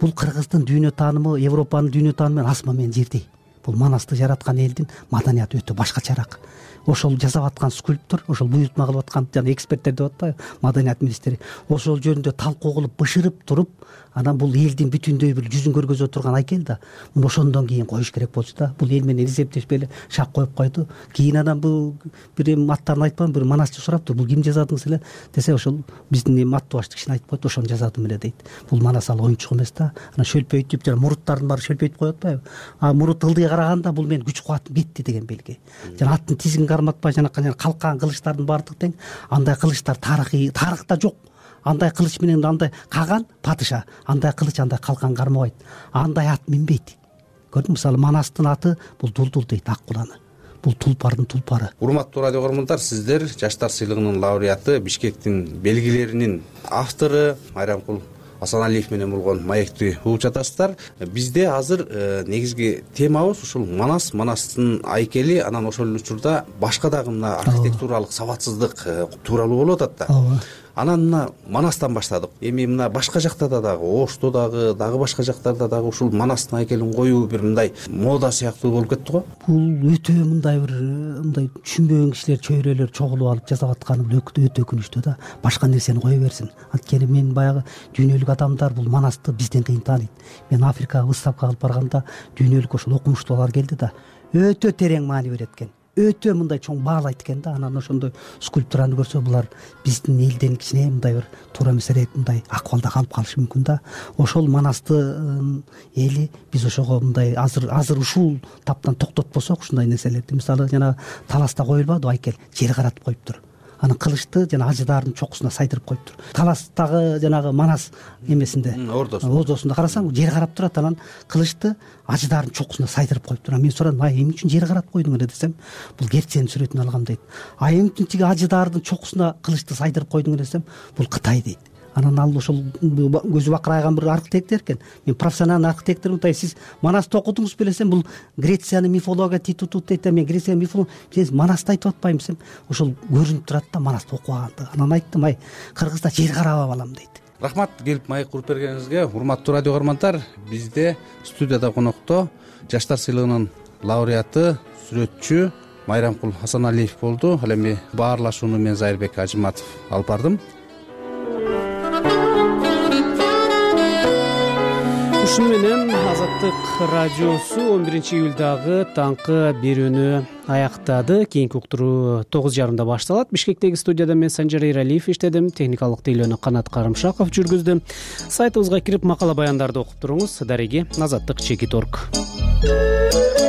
Бул кыргыздын дүйнө таанымы, Европанын дүйнө таанымы менен асма менен жердей. Бул Манасты жараткан элдин маданияты өтө башкачараак. Ошол жасап аткан скульптор, ошол буйрутма кылып аткан жана эксперттер деп атпайбы, маданият министри, ошол жөнүндө талкуу кылып, бышырып туруп, анан бул элдин бүтүндөй бир жүзүн көргөзө турган айкел да. Муну ошондон кийин коюш керек болчу да. Бул эл менен эсептешпей эле шак коюп койду. Кийин анан бул бир эми аттарын айтпам, бир манасчы сураптыр, бул ким жазадыңыз эле десе, ошол биздин эми аттыбашты кишини айтып койду, ошону жазадым эле дейт. Бул Манас ал оюнчук эмес да. Анан шөлпөйтүп, жана муруттардын баары шөлпөйтүп коюп атпайбы? А мурут ылдый караганда бул менин күч кубатым кетти деген белги. Жана аттын тизин карматпай, жана калкан кылычтардын баардык тең. Андай кылычтар тарыхый, тарыхта жок. Андай кылыч менен андай каган падыша, андай кылыч, андай калкан кармабайт. Андай ат минбейт. Көрдүңүзбү? Мисалы Манастын аты бул Дулдул дейт, ак куланы. Бул тулпардын тулпары. Урматтуу радио көрөрмандар, сиздер Жаштар сыйлыгынын лауреаты, Бишкектин белгилеринин автору Майрамкул Асаналиев менен болгон маекти угуп жатасыздар. Бизде азыр негизги темабыз ушул Манас, Манастын айкели, анан ошол учурда башка дагы мына архитектуралык сабатсыздык тууралуу болуп атат да. анан мына Манастан баштадык. Эми мына башка жактарда дагы, Ошто дагы, дагы башка жактарда дагы ушул Манастын айкелин коюу бир мындай мода сыяктуу болуп кетти го. Бул өтө мындай бир мындай түшүнбөгөн кишилер, чөйрөлөр чогулуп алып жасап атканы бул өтө өкүнүчтүү да. Башка нерсени кое берсин. Анткени мен баягы дүйнөлүк адамдар бул Манасты бизден кыйын тааныйт. Мен Африкага выставка кылып барганда дүйнөлүк ошол окумуштуулар келди да, өтө терең маани берет экен. Өтө мындай чоң баалайт экен да. Анан ошондой скульптураны көрсө булар биздин элден кичине мындай бир туура эмесирээк мындай акыбалда калып калышы мүмкүн да. Ошол Манасты эли биз ошого мындай азыр азыр ушул таптан токтотпосок ушундай нерселерди, мисалы жана Таласта коюлбадыбы айкел, жер каратып коюптур. Анан кылычты жана ажыдаардын чокусуна сайдырып коюптур. Таластагы жанагы Манас эмесинде, ордосунда карасаң жер карап турат, анан кылычты ажыдаардын чокусуна сайдырып коюптур. Мен сурадым, ай эмне үчүн жер карап койдуң эле десем, бул Герценин сүрөтүн алгам дейт. А эмне үчүн тиги ажыдаардын чокусуна кылычты сайдырып койдуң эле десем, бул Кытай дейт. Анан ал ошол көзү бакырайган бир архитектор экен. Мен профессионалдуу архитектормун, тай сиз Манасты окудуңузбу белесем, бул Грециянын мифология титутут дейт. Мен Греция мифология, сиз Манасты айтып атпаймын десем, ошол көрүнүп турат да Манасты окуганды. Анан айттым, ай Кыргызда жер карап алам дейт. Рахмат келип маек куруп бергениңизге. Урматтуу радио көрөрмандар, бизде студияда конокто Жаштар сыйлыгынын лауреаты, сүрөтчү Майрамкул Асаналиев болду. Ал эми баарлашууну мен Зайырбек Ажыматов алып бардым. Ушуну менен Азаттык радиосу он биринчи июлдагы таңкы берүүнү аяктады. Кийинки уктуруу тогуз жарымда башталат. Бишкектеги студияда мен Санжар Эралиев иштедим. Техникалык тейлөөнү Канат Карымшаков жүргүздү. Сайтыбызга кирип макала баяндарды окуп туруңуз. Дареги Азаттык чекит точка орг.